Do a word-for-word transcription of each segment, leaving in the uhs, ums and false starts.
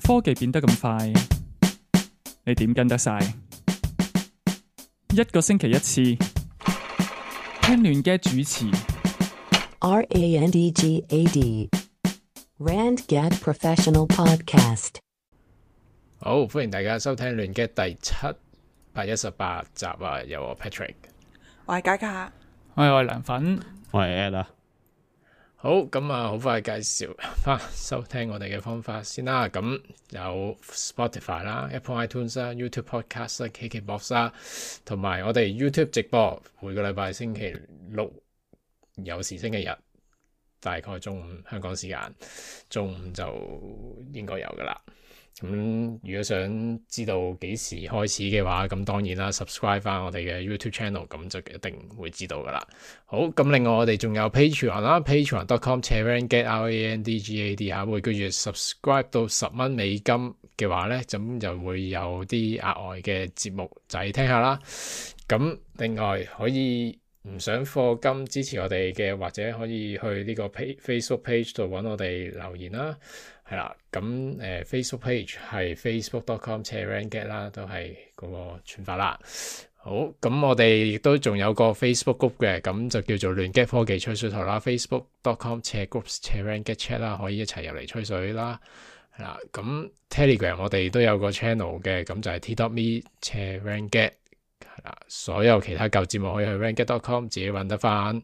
科技變得咁快，你點跟得晒？一個星期一次，聽亂嘅主持。R A N D G A D Randgad Professional Podcast。好，歡迎大家收聽亂嘅第七百一十八集啊！有我 Patrick，我係嘉嘉，我係梁粉，我係 Ed 啊。好，咁啊，好快介紹翻收聽我哋嘅方法先啦。咁有 Spotify 啦、Apple iTunes 啦、YouTube Podcast 啦、K K Box 啦，同埋我哋 YouTube 直播，每個禮拜星期六有時星期日，大概中午香港時間中午就應該有噶啦。咁如果想知道幾時開始嘅話，咁當然啦 ，subscribe 翻我哋嘅 YouTube channel，咁就一定會知道噶啦。好，咁另外我哋仲有 Patreon 啦 ，patreon dot com randgad R A N D G A D 嚇，每個月 subscribe 到十蚊美金嘅話咧，咁就會有啲額外嘅節目仔聽下啦。咁另外可以唔想課金支持我哋嘅，或者可以去呢個 Facebook page 度揾我哋留言啦。係啦，咁誒、呃、Facebook page 係 facebook dot com randgad 啦，都係嗰個串法啦。好，咁我哋亦都仲有個 Facebook group 嘅，咁就叫做亂 gad 科技吹水台啦 ，facebook dot com groups randgad chat 啦，可以一齊入嚟吹水啦。係啦，咁 Telegram 我哋都有個 channel 嘅，咁就係 t dot me randgad。係啦，所有其他舊節目可以去 randgad dot com 自己揾得翻，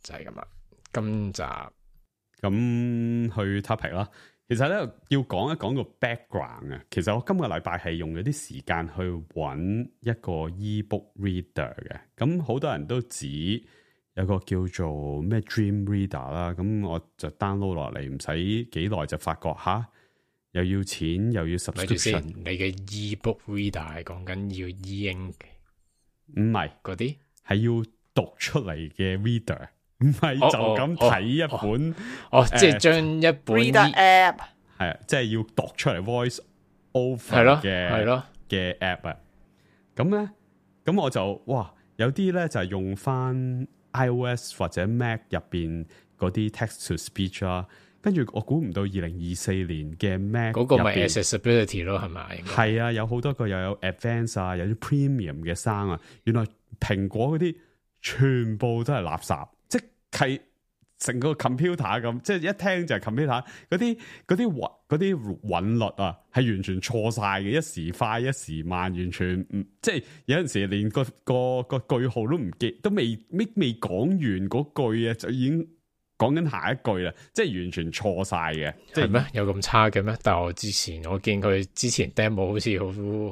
就係咁啦。今集。咁去 topic 啦，其實咧要講一講個 background 啊。其實我今個禮拜係用咗啲時間去揾一個 ebook reader 嘅。咁好多人都指有個叫做咩 Dream Reader 啦，咁我就 download 落嚟，唔使幾耐就發覺吓又要錢又要 subscription。你嘅 ebook reader 係講緊要 e-ink，唔係嗰啲係要讀出嚟嘅 reader。唔係就咁睇一本，哦，即係將一本 Reader App 係啊，即係要讀出嚟 voice over 係咯，嘅係咯嘅 app 啊。咁咧，咁我就哇，有啲咧就係用翻 iOS 或者 Mac 入邊嗰啲 text to speech 啦。跟住我估唔到二零二四年嘅 Mac 嗰個咪 accessibility 咯，係咪？係啊，有好多個又有 advanced 啊，有啲 premium 嘅聲啊。原來蘋果嗰啲全部都係垃圾。係成個 computer 咁，即係一聽就係 computer 嗰啲嗰啲韻嗰啲韻律啊，係完全錯晒嘅，一時快一時慢，完全唔即係有陣時連個個個句號都唔記，都未未未講完嗰句啊，就已經講緊下一句啦，即係完全錯晒嘅。係咩？有咁差嘅咩？但係我之前我見佢之前 demo 好似好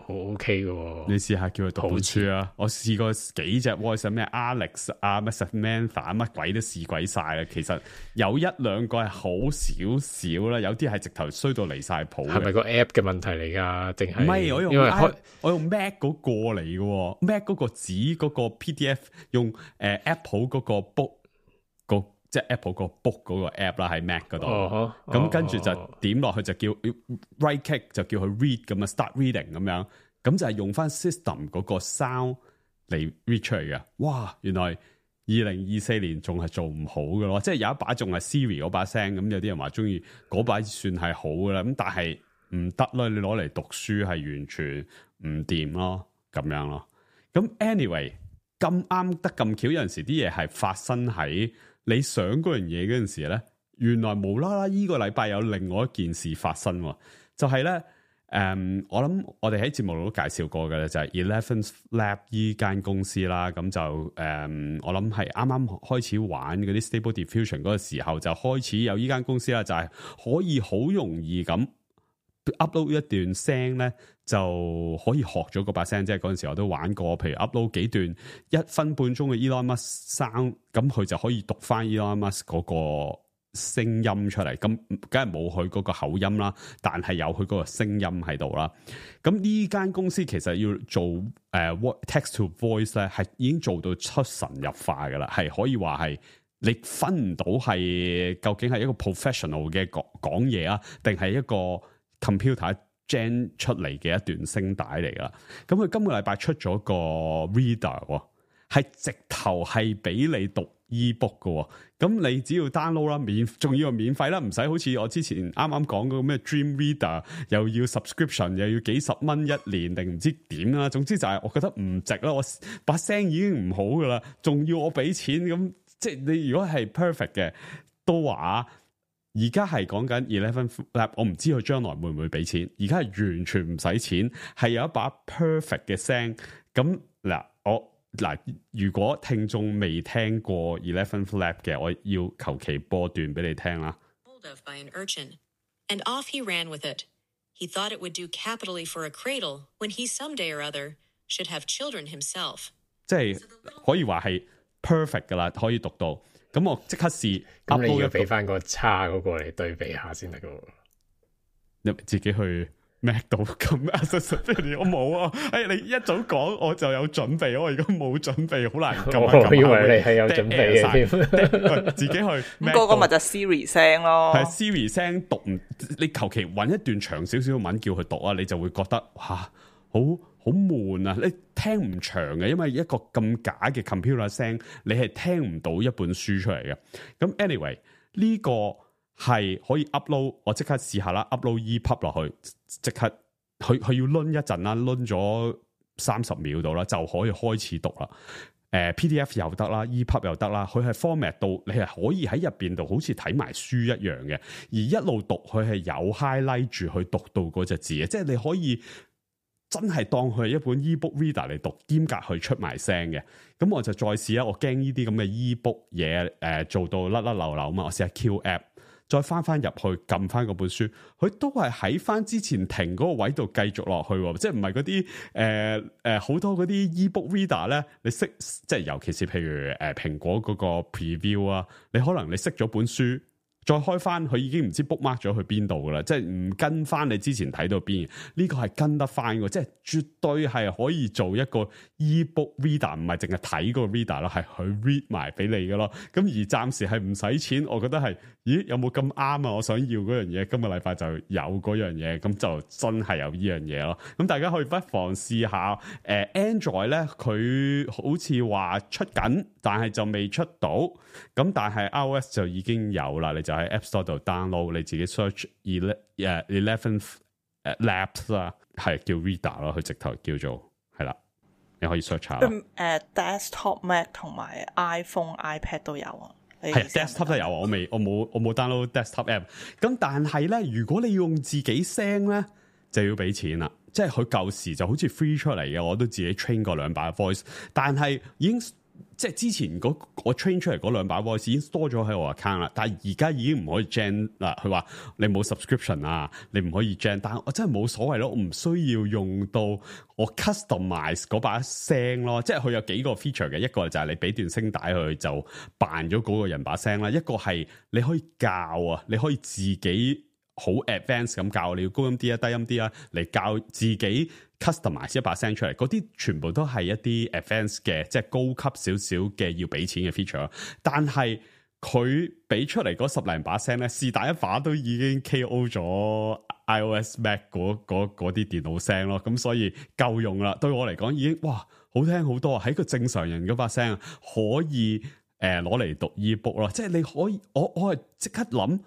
好 OK 嘅。你試下叫佢讀本書啊！我試過幾隻 voice 咩 Alex 啊，咩 Samantha 乜鬼都試鬼晒啦。其實有一兩個係好少少啦，有啲係直頭衰到離晒譜。係咪個 app 嘅問題嚟噶？定係？唔係，我用因為開我用 Mac 嗰個嚟嘅 ，Mac 嗰個紙嗰個 P D F 用誒、呃、Apple 嗰個 book 個。即係 Apple 個 book 嗰個 app 啦，喺 Mac 嗰度，咁、uh-huh, 跟住就點落去就叫 right click 就叫佢 read 咁啊 start reading 咁樣，咁就係用翻 system 嗰個 sound 嚟 read 出嚟嘅。哇，原來二零二四年仲係做唔好嘅咯，即係有一把仲係 Siri 嗰把聲，咁有啲人話中意嗰把算係好嘅啦，咁但係唔得啦，你攞嚟讀書係完全唔掂咯，咁樣咯。咁 anyway 咁啱得咁巧，有陣時啲嘢係發生喺你想嗰樣嘢嗰陣時咧，原來無啦啦依個禮拜有另外一件事發生，就係、是、咧，誒、嗯，我諗我哋喺節目度都介紹過嘅咧，就係 Eleventh Lab 依間公司啦，咁就誒、嗯，我諗係啱啱開始玩嗰啲 Stable Diffusion 嗰個時候，就開始有依間公司啦，就係可以好容易咁 upload 一段聲咧，就可以學咗嗰把聲，即係嗰陣時我都玩過，譬如 upload 幾段一分半鐘嘅 Elon Musk sound，咁佢就可以讀翻 Elon Musk 嗰個聲音出嚟，咁梗係冇佢嗰個口音啦，但係有佢嗰個聲音喺度啦。咁呢間公司其實要做誒、呃、text to voice 咧，係已經做到出神入化噶啦，係可以話係你分唔到係究竟係一個 professional 嘅講講嘢啊，定係一個 computer gen 出嚟嘅一段聲帶嚟噶。咁佢今個禮拜出咗個 reader，係直頭係俾你讀 ebook 嘅，咁你只要 download 啦，免仲要係免費啦，唔使好似我之前啱啱講嗰個咩 Dream Reader 又要 subscription 又要幾十蚊一年定唔知點啦，總之就係我覺得唔值啦，我把聲已經唔好噶啦，仲要我俾錢咁，即係你如果係 perfect 嘅都話，而家係講緊 Eleven Lab， 我唔知佢將來會唔會俾錢，而家係完全唔使錢，係有一把 perfect 嘅聲，咁嗱我。嗱，如果聽眾未聽過 Eleven Lab 嘅，我要求其播段俾你聽啦。Hold of by an urchin, and off he ran with it. He thought it would do capitally for a cradle when he someday or other should have children himself. 即係可以話係 perfect 噶啦，可以讀到。咁我即刻試。咁你要俾翻個差嗰個嚟對比下先得噶。你自己去。Mac 到咁 accessibility 我冇啊！哎，你一早講我就有準備，我而家冇準備，好難撳。我以為你係有準備嘅自己去。咁嗰個咪就 Siri 聲咯，係 Siri 聲讀唔，你求其揾一段長少少嘅文叫佢讀啊，你就會覺得哇，好好悶啊！你聽唔長嘅，因為一個咁假嘅 computer 聲，你係聽唔到一本書出嚟嘅。咁 anyway 呢個。係可以 upload， 我即刻試下啦 ，upload E P U B 落去，即刻佢佢要掄一陣啦，掄咗三十秒到啦，就可以開始讀啦。誒、呃、P D F 又得啦 ，E P U B 又得啦，佢係 format 到你係可以喺入邊度好似睇埋書一樣嘅，而一路讀佢係有 highlight 住去讀到嗰隻字嘅，即係你可以真係當佢係一本 ebook reader 嚟讀，兼夾去出埋聲嘅。咁我就再試啦，我驚呢啲咁嘅 ebook 嘢誒做到甩甩流流嘛，我試下 Q app。再翻翻入去撳翻嗰本書，佢都係喺翻之前停嗰個位度繼續落去，即係唔係嗰啲誒誒好多嗰啲 ebook reader 咧，你識即係尤其是譬如誒蘋、呃、果嗰個 preview 啊，你可能你識咗本書。再開翻佢已經唔知 bookmark 咗去邊度噶啦，即係唔跟翻你之前睇到邊，呢個係跟得翻嘅，即係絕對係可以做一個 ebook reader，唔係淨係睇個 reader 咯，係佢 read 埋俾你嘅咯。咁而暫時係唔使錢，我覺得係，咦有冇咁啱啊？我想要嗰樣嘢，今個禮拜就有嗰樣嘢，咁就真係有呢樣嘢咯。咁大家可以不妨試下，誒、呃、Android 咧佢好似話出緊，但係就未出到，咁但係 iOS 就已經有啦，你就喺 App Store 度 download， 你自己 search Eleven Labs 啦，係叫 Reader 咯，佢直頭叫做係啦，你可以 search 下。誒、uh, desktop Mac 同埋 iPhone、iPad 都有啊。係 desktop 都有啊，我未，我冇，我冇 download desktop app。咁但係咧，如果你要用自己聲咧，就要俾錢啦。即係佢舊時就好似 free 出嚟嘅，我都自己 train 過兩把 voice， 但係已經。即係之前嗰我 train 出嚟嗰兩把 voice 已經多咗喺我 account 啦，但係而家已經唔可以 gen 嗱，佢話你冇 subscription 啊，你唔可以 gen，但係我真係冇所謂咯，我唔需要用到我 customize 嗰把聲咯，即係佢有幾個 feature 嘅，一個就係你俾段聲帶佢就扮咗嗰個人把聲啦，一個係你可以教啊，你可以自己好 advanced 咁教，你要高音啲啊，低音啲啊，嚟教自己。customize 一把聲出嚟，嗰啲全部都係一啲 advanced 嘅，即係高級少少嘅要俾錢嘅 feature。但係佢俾出嚟嗰十零把聲咧，是但一把都已經 K O 咗 iOS Mac 嗰嗰嗰啲電腦聲咯。咁所以夠用啦。對我嚟講已經哇好聽好多，喺個正常人嗰把聲可以誒攞嚟讀 ebook 咯。即係你可以，我我係即刻諗。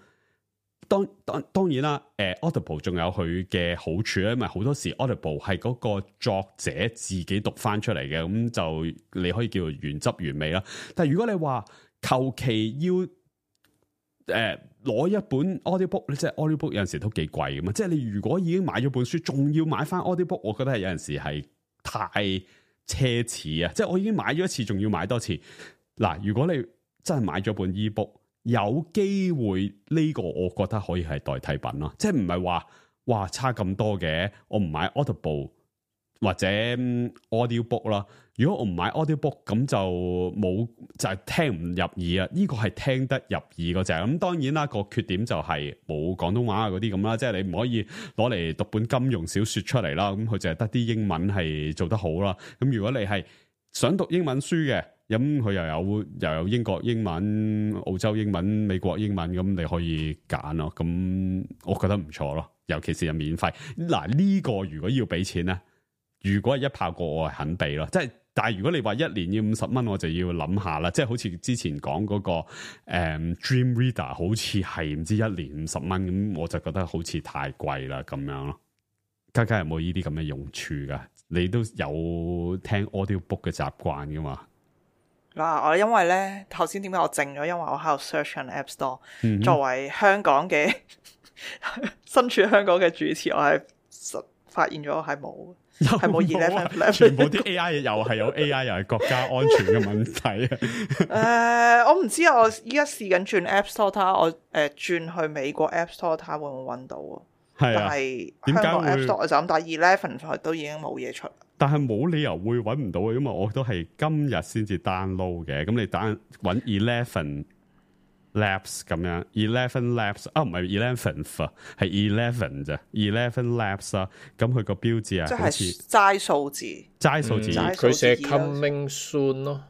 當當當然啦，誒、呃、Audible 仲有佢嘅好處咧，因為好多時 Audible 係嗰個作者自己讀翻出嚟嘅，咁就你可以叫做原汁原味啦。但係如果你話求其要誒攞、呃、一本 audiobook， 即係 audiobook 有陣時都幾貴㗎嘛。即係你如果已經買咗本書，仲要買翻 audiobook， 我覺得係有陣時係太奢侈啊！即係我已經買咗一次，仲要買多次。嗱，如果你真係買咗本 ebook。有機會呢個我覺得可以係代替品咯，即係唔係話哇差咁多嘅，我唔買 Audible 或者 Audiobook 啦。如果我唔買 Audiobook， 咁就冇就係、是、聽唔入耳啊。呢、這個係聽得入耳嗰隻。咁當然啦，個缺點就係冇廣東話嗰啲咁啦，即係你唔可以攞嚟讀本金庸小說出嚟啦。咁佢就係得啲英文係做得好啦。咁如果你係想讀英文書嘅。咁佢又有又有英國英文、澳洲英文、美國英文，咁你可以揀咯。咁我覺得唔錯咯，尤其是係免費。嗱呢個如果要俾錢咧，如果係一炮過我係肯俾咯。即係但係如果你話一年要五十蚊，我就要諗下啦。即係好似之前講嗰、那個誒、嗯、Dream Reader，好似係唔知一年五十蚊咁，我就覺得好似太貴啦咁樣咯。家家有冇呢啲咁嘅用處噶？你都有聽 audiobook 嘅習慣噶嘛？嗱，我因為咧頭先點解我靜咗？因為我喺度 search 緊 App Store、嗯。作為香港嘅身處香港嘅主持，我係發現咗係冇，係冇 eleven Flap， 全部啲 A I 又係有 A I， 又係國家安全嘅問題啊！誒，我唔知啊，我依家試緊轉 App Store 睇下，我誒轉去美國 App Store 睇下會唔會揾到啊？係啊，但係香港 App Store 就咁打 eleven 都已經冇嘢出。但係冇理由會揾唔到嘅，因為我都係今日先至 download 嘅。咁你單揾 eleven Labs 咁樣 ，eleven Labs 啊，唔係 eleven 啊，係 eleven 啫 ，eleven Labs 啊。咁佢個標誌啊，即係齋數字，齋數字，佢寫 coming soon 咯，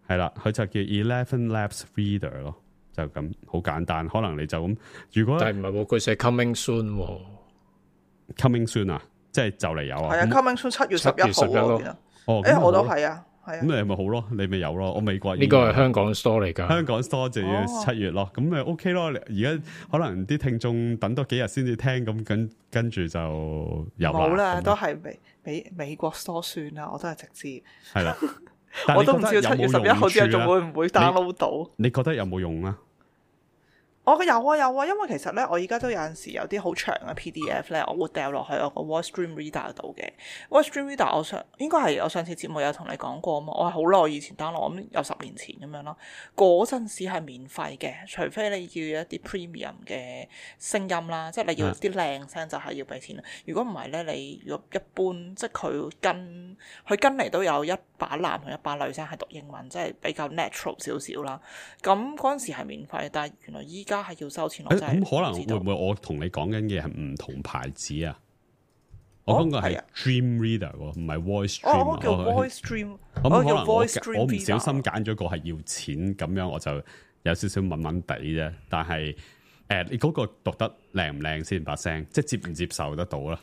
係啦，佢就叫 eleven Labs Reader 咯，就咁好簡單。可能你就咁，如果但係唔係喎，佢寫 coming soon，coming soon 啊。即係就嚟有啊！係啊 ，coming soon 七月十一號啊！哦，誒，我都係啊，係啊。咁你咪好咯，你咪有咯。我美國呢個係香港 store 嚟㗎，香港 store 就要七月咯。咁咪 OK 咯。而家可能啲聽眾等多幾日先至聽，咁跟跟住就有冇啦，都係美美美國 store 算啦。我都係直接係啦。我都唔知七月十一號之後仲會唔會 download 到？你覺得有冇用啊？我、哦、有啊有啊，因為其實咧，我而家都有陣時有啲好長嘅 P D F 咧，我會掉落去我個 Wordstream Reader 度嘅。Wordstream Reader 我上應該係我上次節目有同你講過啊嘛，我係好耐以前 download，我諗有十年前咁樣咯。嗰陣時係免費嘅，除非你要一啲 premium 嘅聲音啦，即係你要啲靚聲就係要俾錢啦。如果唔係咧，你如果一般即係佢跟佢跟嚟都有一把男同一把女聲係讀英文，即係比較 natural 少少啦。咁嗰陣時係免費，但係原來依家係要收錢。我真係唔知道。咁可能會唔會我同你講緊嘅係唔同牌子啊？我講嘅係 Dream Reader 喎，唔係 Voice Stream。哦，叫 Voice Stream。咁可能我我唔小心揀咗個係要錢，咁樣我就有少少悶悶地啫。但係誒，你嗰個讀得靚唔靚先把聲，即係接唔接受得到啦？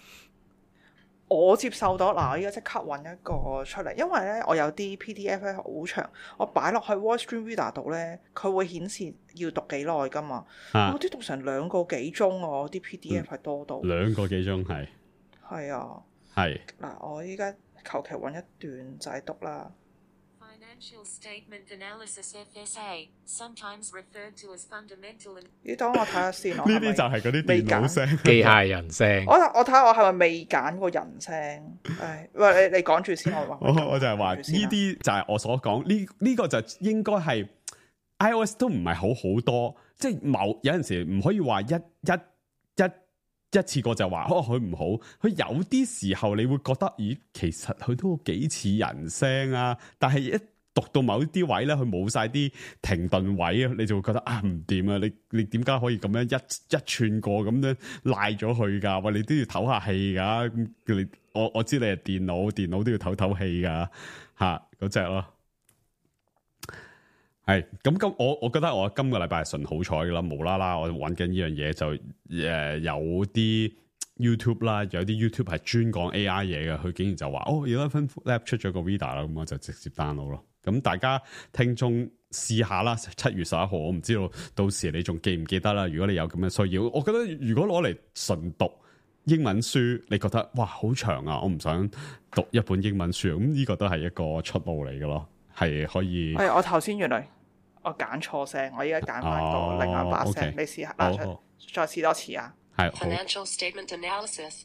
我接受到嗱，我而家即刻揾一個出嚟，因為咧我有啲 P D F 咧好長，我擺落去 Wordstream Reader 度咧，佢會顯示要讀幾耐噶嘛。啊、我啲讀成兩個幾鐘啊，我啲 P D F 係多到、嗯、兩個幾鐘係係啊，係嗱，我依家求其揾一段就係讀啦。Financial statement analysis F S A, sometimes referred to as fundamental. 你等我睇下先，呢啲就係嗰啲電腦聲、機械人聲。我我睇下我係咪未揀過人聲？誒，喂，你你講住先，我話。我我就係話呢啲就係我所講呢呢個就應該係 iOS 都唔係好好多，即係某有陣時唔可以話一一一一次過就話哦佢唔好，佢有啲時候你會覺得咦其實佢都幾似人聲啊，但係一讀到某啲位咧，佢冇晒啲停頓位啊，你就會覺得啊唔掂啊！你你點解可以咁樣一一串過咁樣賴咗佢噶？喂，你都要唞下氣噶。你我我知你係電腦，電腦都要唞唞氣噶吓嗰隻咯。係咁咁，我我覺得我今個禮拜係順好彩噶啦，無啦啦我揾緊呢樣嘢就誒、呃、有啲 YouTube 啦，有啲 YouTube 係專講 A I 嘢嘅，佢竟然就話哦eleven Lab 出咗個 Reader 啦，咁我就直接 download 咯。咁大家聽眾試下啦，七月十一號，我唔知道到時你仲記唔記得啦。如果你有咁嘅需要，我覺得如果攞嚟純讀英文書，你覺得哇好長啊，我唔想讀一本英文書，咁呢個都係一個出路嚟嘅咯，係可以。係我頭先原來我揀錯聲，我依家揀翻個另外一把聲，哦 okay. 你試下拉出，再試多次啊。係 Financial statement analysis,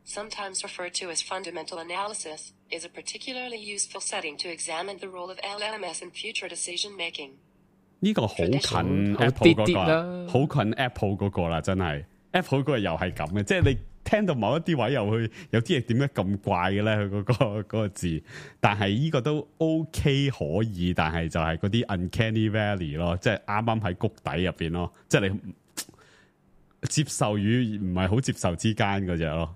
sometimes referred to as fundamental analysis, is a particularly useful setting to examine the role of L M S in future decision making. 呢個好近 Apple 嗰個，好近 Apple 嗰個啦，真係 Apple 嗰個又係咁嘅，即係你聽到某一啲位又去有啲嘢點解咁怪嘅咧？佢嗰個嗰個字，但係呢個都 OK 可以，但係就係嗰啲 uncanny valley 咯，即係啱啱喺谷底入邊咯，即係你接受與唔係好接受之間嗰隻咯。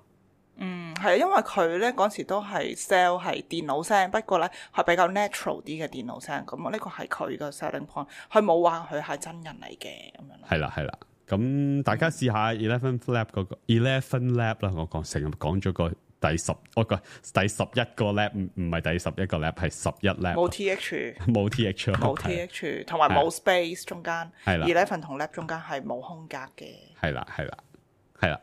嗯，係因為佢咧嗰時都係 sell 係電腦聲，不過咧係比較 natural 啲嘅電腦聲，咁呢個係佢個 selling point，佢冇話佢係真人嚟嘅咁樣。係啦係啦，咁大家試下 eleven Lab 嗰個 eleven Lab 啦，我講成日講咗個第十，我個第十一個 lab 唔唔係第十一個 lab 係十一 lab，冇 T H， 冇 T H， 冇 T H， 同埋冇 space 中間，係啦 eleven 同 lab 中間係冇空格嘅，係啦係啦係啦。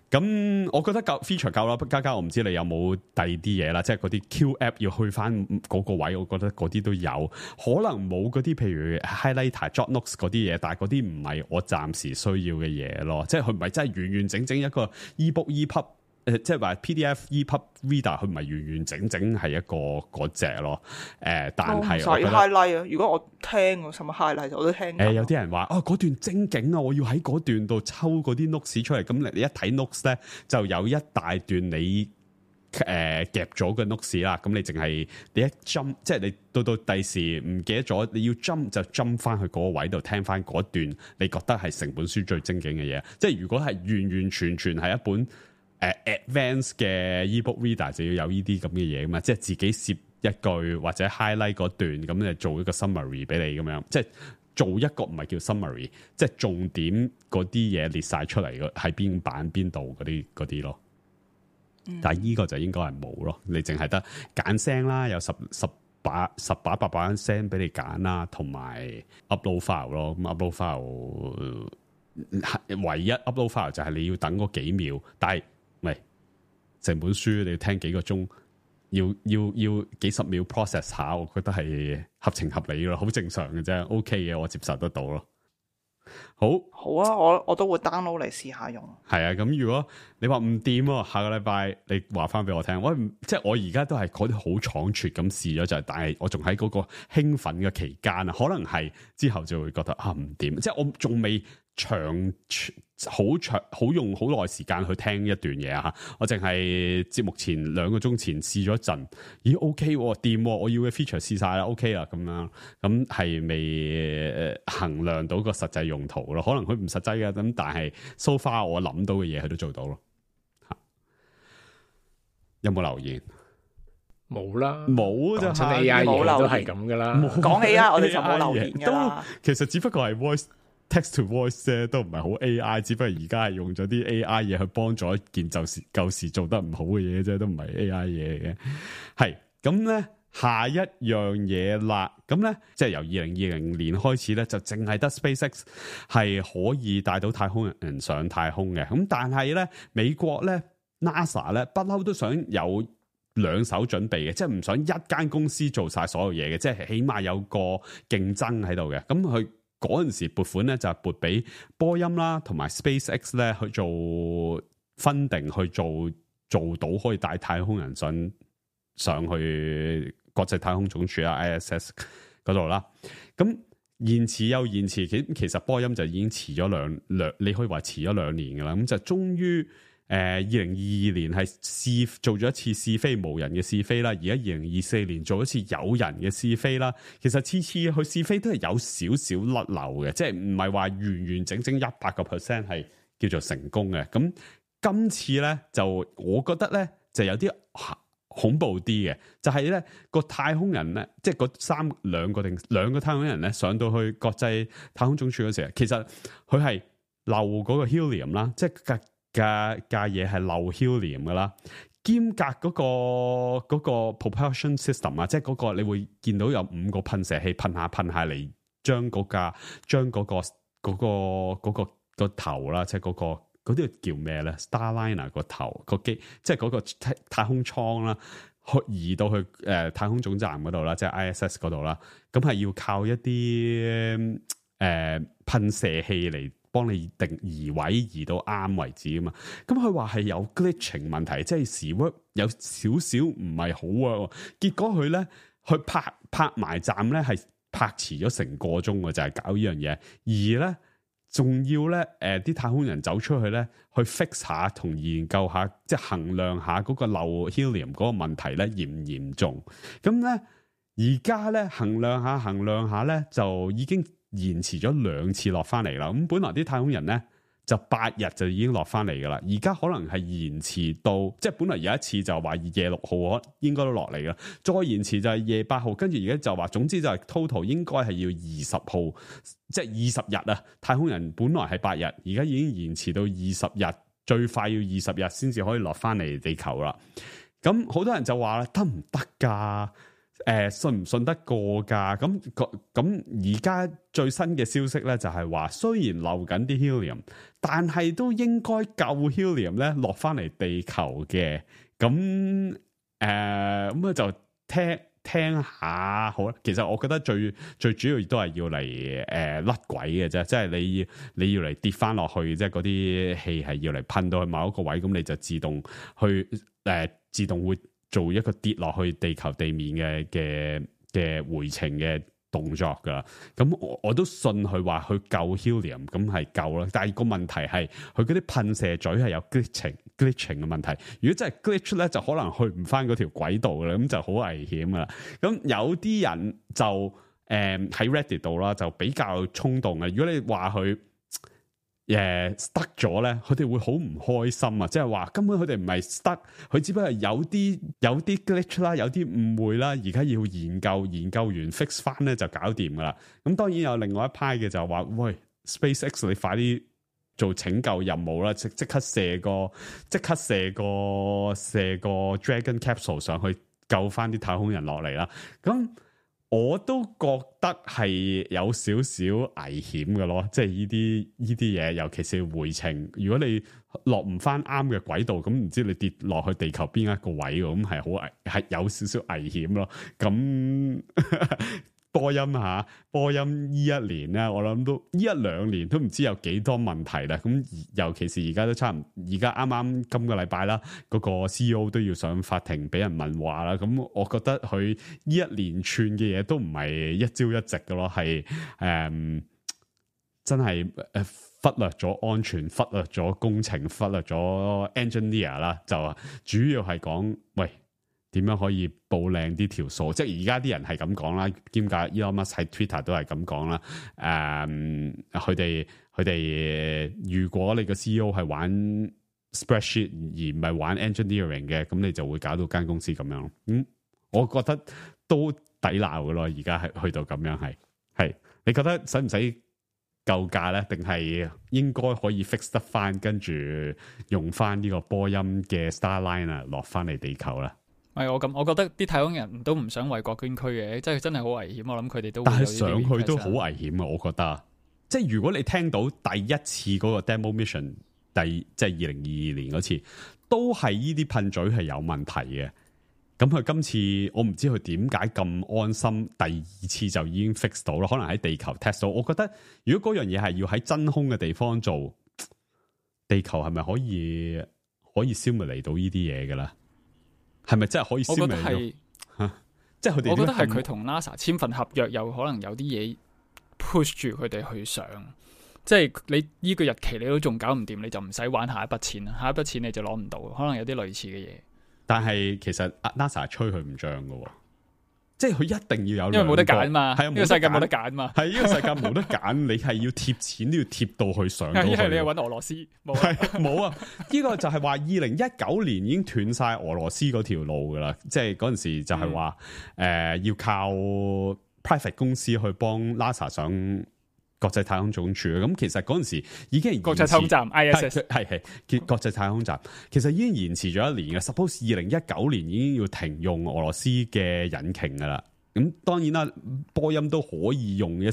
咁我覺得夠 feature 夠啦，加加我唔知你有冇第二啲嘢啦，即係嗰啲 Q app 要去翻嗰個位，我覺得嗰啲都有，可能冇嗰啲譬如 highlighter、jot notes 嗰啲嘢，但係嗰啲唔係我暫時需要嘅嘢咯，即係佢唔係真係完完整整一個 ebook、epub。誒即係話 P D F、E P U B Reader 佢唔係完完整整係一個嗰隻咯，誒但係我覺得 highlight 啊！如果我聽我什麼 highlight 我都聽。誒有啲人話哦嗰段精警啊，我要喺嗰段度抽嗰啲 notes 出嚟，咁你你一睇 notes 咧就有一大段你誒、呃、夾咗嘅 notes 啦，咁你淨係你一 jump 即係你到到第時唔記得咗，你要 jump 就 jump 翻去嗰個位度聽翻嗰段你覺得係成本書最精警嘅嘢，即係如果係完完全全係一本。誒、uh, advanced 嘅 ebook reader 就要有呢啲咁嘅嘢噶嘛，即係自己攝一句或者 highlight 嗰段，咁就做一個 summary 俾你咁樣，即係做一個唔係叫 summary， 即係重點嗰啲嘢列晒出嚟嘅喺邊版邊度嗰啲嗰啲咯。嗯、但係呢個就應該係冇咯，你淨係得揀聲啦，有十十把十把八把聲俾你揀啦，同埋 upload file 咯，咁 upload file 唯一 upload file 就係你要等嗰幾秒，但係喂，成本書你要聽幾個鐘，要要要幾十秒 process 下，我覺得係合情合理咯，好正常嘅啫 ，OK 嘅，我接受得到咯。好，好啊，我我都會 download 嚟試下用。係啊，咁如果你話唔掂喎，下個禮拜你話翻俾我聽，我即係我而家都係嗰啲好倉促咁試咗就係，但係我仲喺嗰個興奮嘅期間啊，可能係之後就會覺得啊唔掂，即係我仲未。長好長好用好耐時間去聽一段嘢啊！我淨係節目前兩個鐘前試咗一陣，咦 OK 掂，我要嘅 feature 試晒啦 OK 啦咁樣，咁係未衡量到個實際用途咯？可能佢唔實際嘅，咁但係 so far 我諗到嘅嘢佢都做到咯。有冇留言？冇啦，冇就係 A I 冇留言都係咁噶啦。講起啊，我哋就冇留言噶啦。其實只不過係 voice。text to voice 啫，都唔係好 A I， 只不過而家係用咗啲 A I 嘢去幫助一件舊時舊時做得唔好嘅嘢啫，都唔係 A I 嘢嚟嘅。係咁咧，下一樣嘢啦，咁咧即係由二零二零年開始咧，就淨係得 SpaceX 係可以帶到太空人上太空嘅。咁但係咧，美國咧 NASA 咧不嬲都想有兩手準備嘅，即係唔想一間公司做晒所有嘢嘅，即係起碼有個競爭喺度嘅。咁佢嗰陣時撥款咧就係撥俾波音啦，同埋 SpaceX 咧去做funding，去做做到可以帶太空人上上去國際太空總署啊 I S S 嗰度啦。咁延遲又延遲，其其實波音就已經遲咗兩兩，你可以話遲咗兩年噶啦。咁就終於。誒，二零二二年係試做咗一次試飛無人嘅試飛啦，而家二零二四年做一次有人嘅試飛啦。其實次次去試飛都係有少少甩漏嘅，即係唔係話完完整整一百個 percent 係叫做成功嘅。咁今次咧就我覺得咧就有啲恐怖啲嘅，就係咧個太空人咧，即係嗰三兩個定兩個太空人咧上到去國際太空總署嗰時候，其實佢係漏嗰個 helium 啦，即係。架架嘢係漏 helium 噶啦，兼隔嗰、嗰個嗰、嗰個 propulsion system 啊，即係嗰個你會見到有五個噴射器噴下噴下嚟，將嗰架將嗰個嗰、嗰個嗰、嗰個、嗰個頭啦，即係嗰、嗰個嗰啲叫咩咧 ？Starliner 個頭個機，即係嗰個太空艙啦，去移到去誒、呃、太空總站嗰度啦，即係 I S S 嗰度啦，咁係要靠一啲誒、呃、噴射器嚟。幫你定移位移到啱為止啊嘛，咁佢話係有 glitching 問題，即係時 work 有少少唔係好啊，結果佢咧去拍拍埋站咧係拍遲咗成個鐘嘅，就係、是、搞呢樣嘢，而咧仲要咧誒啲太空人走出去咧去 fix 下同研究下，即係衡量下嗰個漏 helium 嗰個問題咧嚴唔嚴重，咁咧而家咧衡量下衡量下咧就已經。延遲咗兩次落翻嚟啦，咁本來啲太空人咧就八日就已經落翻嚟噶啦，而家可能係延遲到，即係本來有一次就話夜六號應該都落嚟噶，再延遲就係夜八號，跟住而家就話，總之就係 total 應該係要二十號，即係二十日啊！太空人本來係八日，而家已經延遲到二十日最快要二十日先至可以落翻嚟地球啦。咁好多人就話啦，得唔得㗎？誒、呃，信唔信得過㗎？咁咁而家最新嘅消息咧，就係話雖然漏緊啲 helium，但係都應該夠 helium 咧落翻嚟地球嘅。咁誒咁啊就聽聽下好啦。其實我覺得最最主要都係要嚟誒甩軌嘅啫，即係你要你要嚟跌翻落去，即係嗰啲氣係要嚟噴到去某一個位，咁你就自動去誒、呃、自動會做一個跌落去地球地面嘅嘅嘅回程嘅動作噶，咁我我都信佢話佢夠 helium， 咁係夠啦。但係個問題係佢嗰啲噴射嘴係有 glitching glitching 嘅問題。如果真係 glitch 咧，就可能去唔翻嗰條軌道啦，咁就好危險噶啦。咁有啲人就誒喺、呃、Reddit 度啦，就比較衝動嘅。如果你話佢誒 stuck 咗咧，佢哋會好唔開心啊！即係話根本佢哋唔係 stuck，佢只不過係有啲有啲 glitch 啦，有啲誤會啦，而家要研究研究完 fix 翻咧就搞掂噶啦。咁當然有另外一派嘅就話，喂 SpaceX 你快啲做拯救任務啦，即即刻射個即刻射個射個 Dragon Capsule 上去救翻啲太空人落嚟啦。咁我都覺得係有少少危險嘅咯，即係呢啲呢啲嘢，尤其是回程，如果你落唔翻啱嘅軌道，咁唔知你跌落去地球邊一個位，咁係好危，係有少少危險咯。咁波音吓，波音呢一年咧，我諗都呢一兩年都唔知有幾多問題啦。咁尤其是而家都差唔，而家啱啱今個禮拜啦，嗰個 C E O 都要上法庭俾人問話啦。咁我覺得佢呢一連串嘅嘢都唔係一朝一夕嘅咯，係誒、嗯、真係誒忽略咗安全，忽略咗工程，忽略咗 engineer 啦，就主要係講喂。點樣可以報靚啲條數？即係而家啲人係咁講啦，兼夾 Elon Musk 喺 Twitter 都係咁講啦。誒、嗯，佢哋佢哋，如果你個 C E O 係玩 spreadsheet 而唔係玩 engineering 嘅，咁你就會搞到間公司咁樣。嗯，我覺得都抵鬧嘅咯。而家係去到咁樣係係，你覺得使唔使救駕咧？定係應該可以 fix 得翻，跟住用翻呢個波音嘅 Starliner 落翻嚟地球啦？係我咁，我覺得啲太空人都唔想為國捐軀嘅，即係真係好危險。我諗佢哋都會有，但係上去都好危險啊！我覺得，即係如果你聽到第一次嗰個 demo mission，第即係二零二二年嗰次，都係呢啲噴嘴係有問題嘅。咁佢今次我唔知佢點解咁安心，第二次就已經 fix 到啦。可能喺地球 test 到。我覺得如果嗰樣嘢係要喺真空嘅地方做，地球係咪可以可以消滅嚟到呢啲嘢嘅啦？係咪真係可以消滅到？即係佢哋，我覺得係佢同 NASA 簽份合約，有可能有啲嘢 push 住佢哋去上。即係你呢個日期你都仲搞唔掂，你就唔使玩下一筆錢啦。下一筆錢你就攞唔到，可能有啲類似嘅嘢。但係其實 NASA 吹佢唔漲㗎，即係佢一定要有，因為冇得揀嘛。係啊，呢個世界冇得揀嘛。係呢個世界冇得揀，你係要貼錢都要貼到去上到去。一係你係揾俄羅斯，冇係冇啊！呢個就係話二零一九年已經斷晒俄羅斯嗰條路噶啦，即係嗰陣時就係話誒要靠 private 公司去幫 NASA 上國際太空總署。咁其實嗰陣時已經國際太空站 I S S 係係叫國際太空站，其實已經延遲咗一年嘅。Suppose 二零一九年已經要停用俄羅斯嘅引擎噶啦。咁當然啦，波音都可以用一，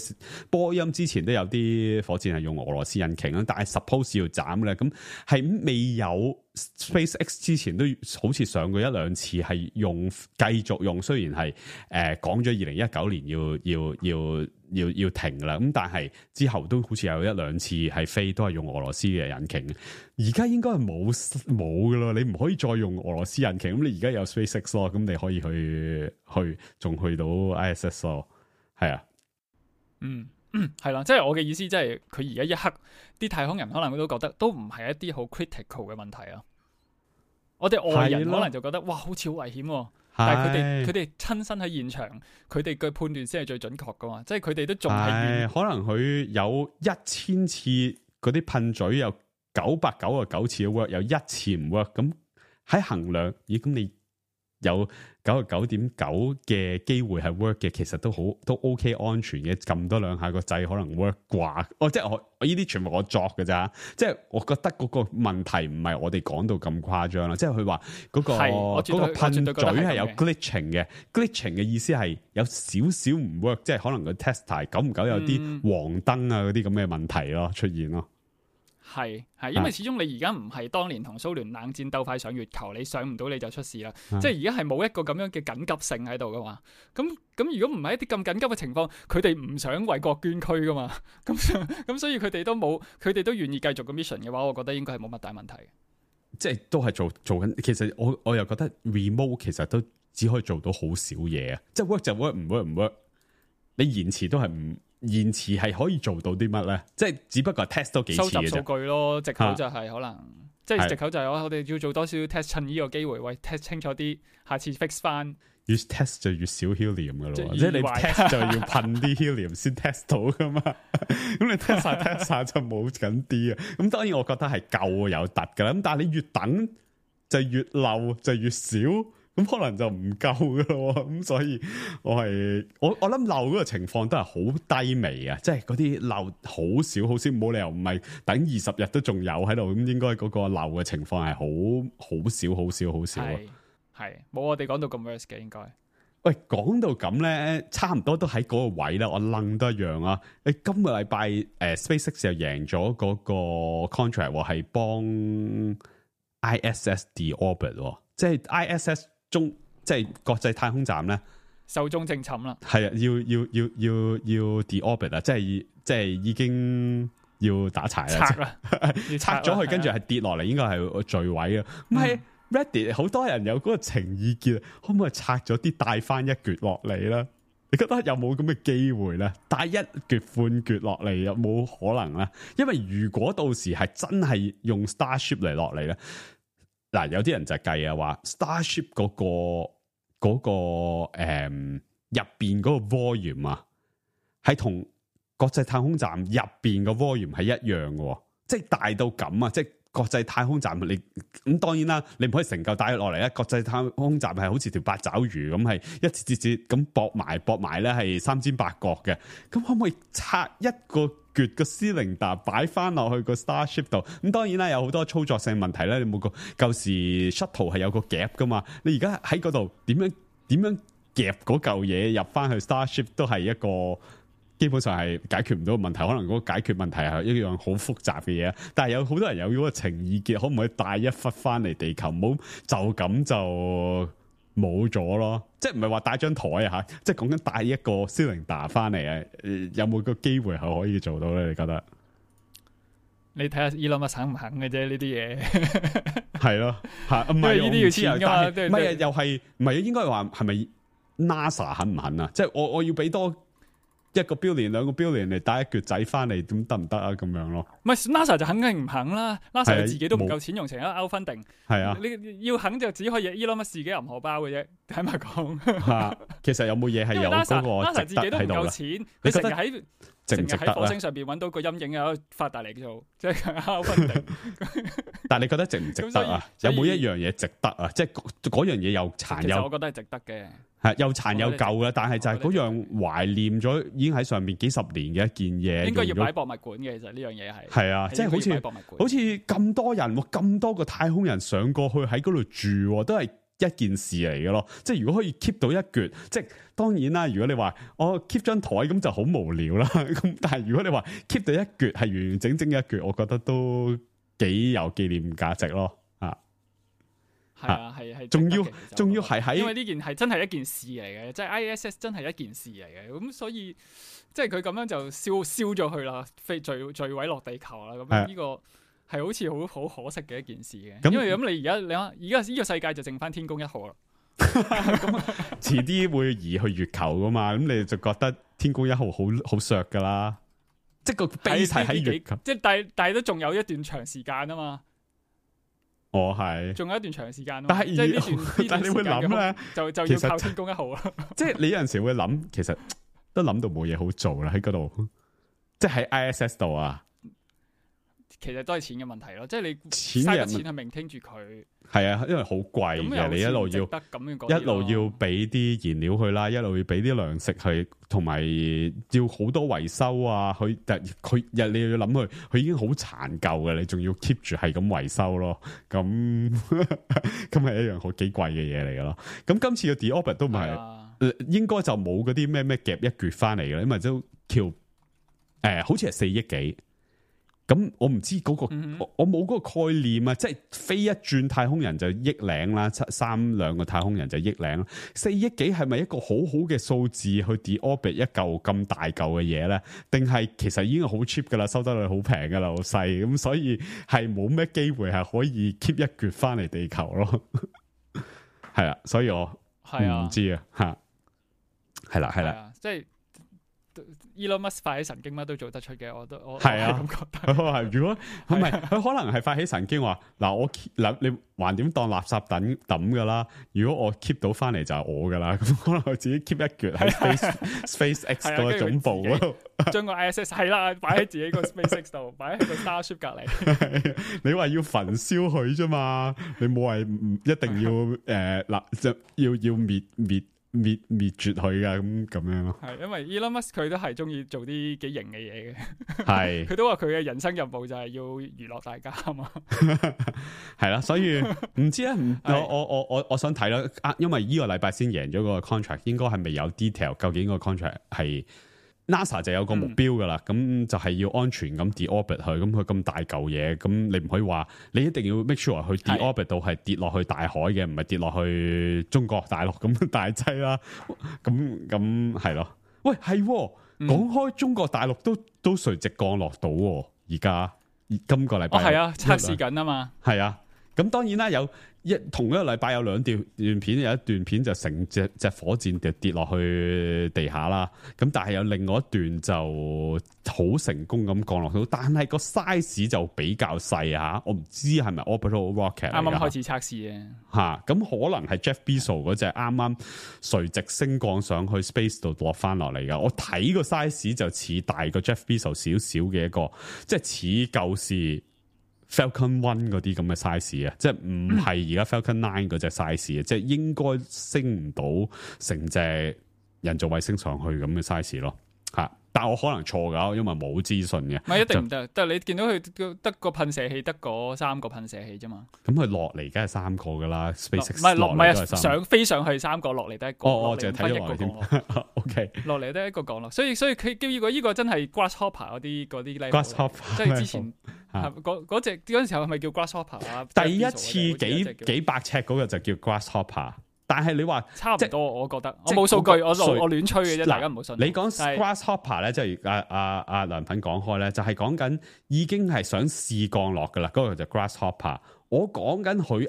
波音之前都有啲火箭係用俄羅斯引擎啦，但係 suppose 要斬咧，咁係未有 SpaceX 之前都好似上過一兩次係用繼續用，雖然係誒講咗二零一九年要要要要要停噶啦，咁但係之後都好似有一兩次係飛都係用俄羅斯嘅引擎，而家應該係冇冇噶咯，你唔可以再用俄羅斯引擎，咁你而家有 SpaceX 咯，咁你可以去去仲去到 I S S 咯，係啊，嗯嗯係啦，即係我嘅意思，即係佢而家一刻啲太空人可能都覺得都唔係一啲好 critical 嘅問題啊，我哋外人可能就覺得哇好似好危險啊。但係佢哋佢哋親身喺現場，佢哋嘅判斷先係最準確噶嘛，即係佢哋都仲係可能佢有一千次嗰啲噴嘴有九百九十九次 work，有一次唔 work，咁喺衡量，咦咁你有九十九點九嘅機會係 work 嘅，其實都好都 OK 安全嘅，撳多兩下個掣可能 work 啩。哦，即係我我呢啲全部我作嘅咋，即係我覺得嗰個問題唔係我哋講到咁誇張啦。即係佢話嗰個嗰個噴嘴係有 glitching 嘅 ，glitching 嘅意思係有少少唔 work，即係可能個 tester 久唔久有啲黃燈啊嗰啲咁嘅問題咯出現咯。係係，因為始終你而家唔係當年同蘇聯冷戰鬥快上月球，你上唔到你就出事啦。啊、即係而家係冇一個咁樣嘅緊急性喺度噶嘛。咁咁如果唔係一啲咁緊急嘅情況，佢哋唔想為國捐軀噶嘛。咁咁所以佢哋都冇，佢哋都願意繼續個 mission 嘅話，我覺得應該係冇乜大問題。即係都係做做緊。其實我我又覺得 remote 其實都只可以做到好少嘢啊。即係 work 就 work， 唔 work 唔 work。你延遲都係唔。延遲係可以做到啲乜咧？即係只不過 test 多幾次嘅啫。收集數據咯，藉口就係可能，啊、即係藉口就係我我哋要做多少 test， 趁呢個機會，喂 test 清楚啲，下次 fix 翻。越 test 就越少 helium 噶咯，即係你 test 就要噴啲 helium 先 test 到噶嘛。咁你 test 晒 test 晒就冇緊啲啊。咁當然我覺得係夠有突噶啦。咁但係你越等就越漏就越少。咁可能就唔夠噶咯，咁所以我係我我諗漏嗰個情況都係好低微啊，即係嗰啲漏好少好少，冇理由唔係等二十日都仲有喺度，咁應該嗰個漏嘅情況係好好少好少好少啊，係冇我哋講到咁 worse 嘅應該。喂，講到咁咧，差唔多都喺嗰個位啦，我愣得一樣啊！你今個禮拜誒 SpaceX 又贏咗嗰個 contract 係幫 I S S deorbit， 即係 I S S。中即係國際太空站咧，壽終正寢啦。係啊，要要要要要 deorbit 啊，即係即係已經要打柴啦，拆啦，拆咗佢，跟住係跌落嚟，應該係墜毀啊。唔係 Reddit 好多人有嗰個情意結，可唔可以拆咗啲帶翻一橛落嚟啦？你覺得有冇咁嘅機會咧？帶一橛半橛落嚟有冇可能咧？因為如果到時係真係用 Starship 嚟落嚟咧。嗱，有啲人就計啊，話 Starship 嗰、嗰個嗰、嗰個誒入邊嗰個 volume 啊，係同國際太空站入邊個 volume 係一樣嘅，即係大到咁啊！即係國際太空站你咁當然啦，你唔可以成嚿帶落嚟咧。國際太空站係好似條八爪魚咁，係一節節節咁駁埋駁埋咧，係三尖八角嘅。咁可唔可以拆一個橛個 cylinder 擺翻落去個 Starship 度？咁當然啦，有好多操作性問題咧。你冇個舊時 shuttle 係有個夾噶嘛？你而家喺嗰度點樣點樣夾嗰嚿嘢入翻去 Starship 都係一個。基本上係解決唔到問題，可能嗰個解決問題係一樣好複雜嘅嘢。但係有好多人有嗰個情意結，可唔可以帶一忽翻嚟地球？唔好就咁就冇咗咯。即係唔係話帶張台啊吓，即係講緊帶一個 cylinder 翻嚟啊？有冇個機會係可以做到咧？你覺得？你睇下 Elon Musk 肯唔肯嘅啫？呢啲嘢係咯，吓唔係呢啲要錢噶嘛？唔係又係唔係？應該話係咪 NASA 肯唔肯啊？即係我我要俾多。一個 billion 兩個 billion 嚟帶一橛仔翻嚟，咁得唔得啊？咁樣咯，唔係 NASA 就肯定唔肯啦。NASA 自己都唔夠錢用成一個 outfunding，係啊，你要肯就只可以 Elon Musk 自己銀荷包嘅啫。坦白講，啊，其實有冇嘢係有嗰個 NASA 自己都唔夠錢，你成日喺值唔值得喺火星上邊揾到個陰影啊，發達嚟做，即係 outfunding。但係你覺得值唔值得啊？有冇一樣嘢值得啊？即係嗰樣嘢又殘又，我覺得係值得嘅。係又殘又舊嘅，但係就係嗰樣懷念咗，已經喺上面幾十年嘅一件嘢，應該要擺博物館嘅。其實呢樣嘢係係啊，即係好似好似咁多人，咁多個太空人上過去喺嗰度住，都係一件事嚟嘅咯。即係如果可以 keep 到一橛，即係當然啦。如果你話我 keep 張台咁就好無聊啦。咁但係如果你話 keep 到一橛係完完整整嘅一橛，我覺得都幾有紀念價值咯。係啊，係係，仲要仲要係喺，因為呢件係真係一件事嚟嘅，即係 I S S 真係一件事嚟嘅，咁所以即係佢咁樣就燒燒咗去啦，飛墜墜毀落地球啦，咁呢個係好似好好可惜嘅一件事嘅。因為咁你而家你而家呢個世界就剩翻天宮一號啦，咁遲啲會移去月球噶嘛，咁你就覺得天宮一號好好削噶啦，即係個 base 係喺月球，即係但係但係都仲有一段長時間啊嘛。我係，仲有一段長時間咯。但係，即係呢段，但係你會諗咧，就就要靠天宮一號啦。即係你有陣時會諗，其實都諗到冇嘢好做啦，喺嗰度，即係喺 I S S 度啊。其實都係錢嘅問題咯，即係你錢嘥個錢去 maintain 住佢。係啊，因為好貴嘅，你一路要一路要俾啲燃料去啦，一路要俾啲糧食去，同埋要好多維修啊。佢佢日你要諗佢，佢已經好殘舊嘅，你仲要 keep 住係咁維修咯。咁咁係一樣好幾貴嘅嘢嚟噶咯。咁今次嘅 The Orbit 都唔係，啊、應該就冇嗰啲咩咩夾一橛翻嚟嘅，因為都叫誒、呃，好似係四億幾。咁我唔知嗰、嗰個，嗯、我冇嗰個概念啊！即係飛一轉太空人就億領啦，七三兩個太空人就億領，四億幾係咪一個好好嘅數字去 The Orbit 一嚿咁大嚿嘅嘢咧？定係其實已經好 cheap 噶啦，收得率好平噶啦，好細咁，所以係冇咩機會係可以 keep 一橛翻嚟地球咯。係啊，所以我唔知啊，吓係啦係啦，即係。Elon Musk 發起神經乜都做得出嘅，我都我係啊咁覺得。係如果唔係佢可能係發起神經話嗱，我嗱你橫掂當垃圾抌抌噶啦，如果我 keep 到翻嚟就係我噶啦，咁可能我自己 keep 一橛喺 Space SpaceX 嗰個總部嗰度，將個 I S S 係啦，擺喺自己個 SpaceX 度，擺喺個 Starship 隔籬。你話要焚燒佢啫嘛，你冇話一定要誒嗱，就要要滅滅。滅滅絕佢噶咁咁樣咯，係因為 Elon Musk 佢都係中意做啲幾型嘅嘢嘅，係佢都話佢嘅人生任務就係要娛樂大家啊嘛，係啦，所以唔知咧，我我我我我想睇啦，因為呢個禮拜先贏咗個 contract， 應該係未有 detail， 究竟個 contract 係 NASA 就有個目標噶啦，咁、嗯、就係要安全咁 The Orbit 去，咁佢咁大嚿嘢，咁你唔可以話你一定要 make sure 去 The Orbit 度係跌落去大海嘅，唔係跌落去中國大陸咁大劑啦，咁咁係咯。喂，係講、嗯、開中國大陸都都垂直降落到，而家今個禮拜係啊測試緊啊嘛，係啊，咁當然啦有。一同一個禮拜有兩段段片，有一段片就成隻隻火箭跌跌落去地下啦。咁但係有另外一段就好成功咁降落到，但係個 size 就比較細嚇。我唔知係咪 orbital rocket 啱啱開始測試嘅嚇。咁可能係 Jeff Bezos 嗰隻啱啱垂直升降上去 space 度落翻落嚟㗎。我睇個 size 就似大過 Jeff Bezos 少少嘅一個，即係似舊時。Falcon One 嗰啲咁嘅 size 啊，即係唔係而家 Falcon Nine 嗰隻 size 啊，即係應該升唔到成隻人造衛星上去咁嘅 size 咯，吓！但我可能錯噶，因為冇資訊嘅。唔係一定唔得，但係你見到佢得個噴射器，得嗰三個噴射器啫嘛。咁佢落嚟梗係三個噶啦 ，SpaceX 唔係落唔係啊，上飛上去三個，落嚟得一個。哦哦，淨係睇咗落嚟添。O K， 落嚟得一個降落，所以所以佢叫呢個呢個真係 Grasshopper 嗰啲嗰啲 level，即係之前嗰嗰隻嗰陣時候係咪叫 Grasshopper 啊？第一次幾幾百尺嗰個就叫 Grasshopper。但係你話差唔多，我覺得我冇數據，我我亂吹嘅啫，大家唔好信。你講 Grasshopper 咧，即係阿阿阿梁品講開咧，就係講緊已經係想試降落噶啦，嗰個就 Grasshopper。我講緊佢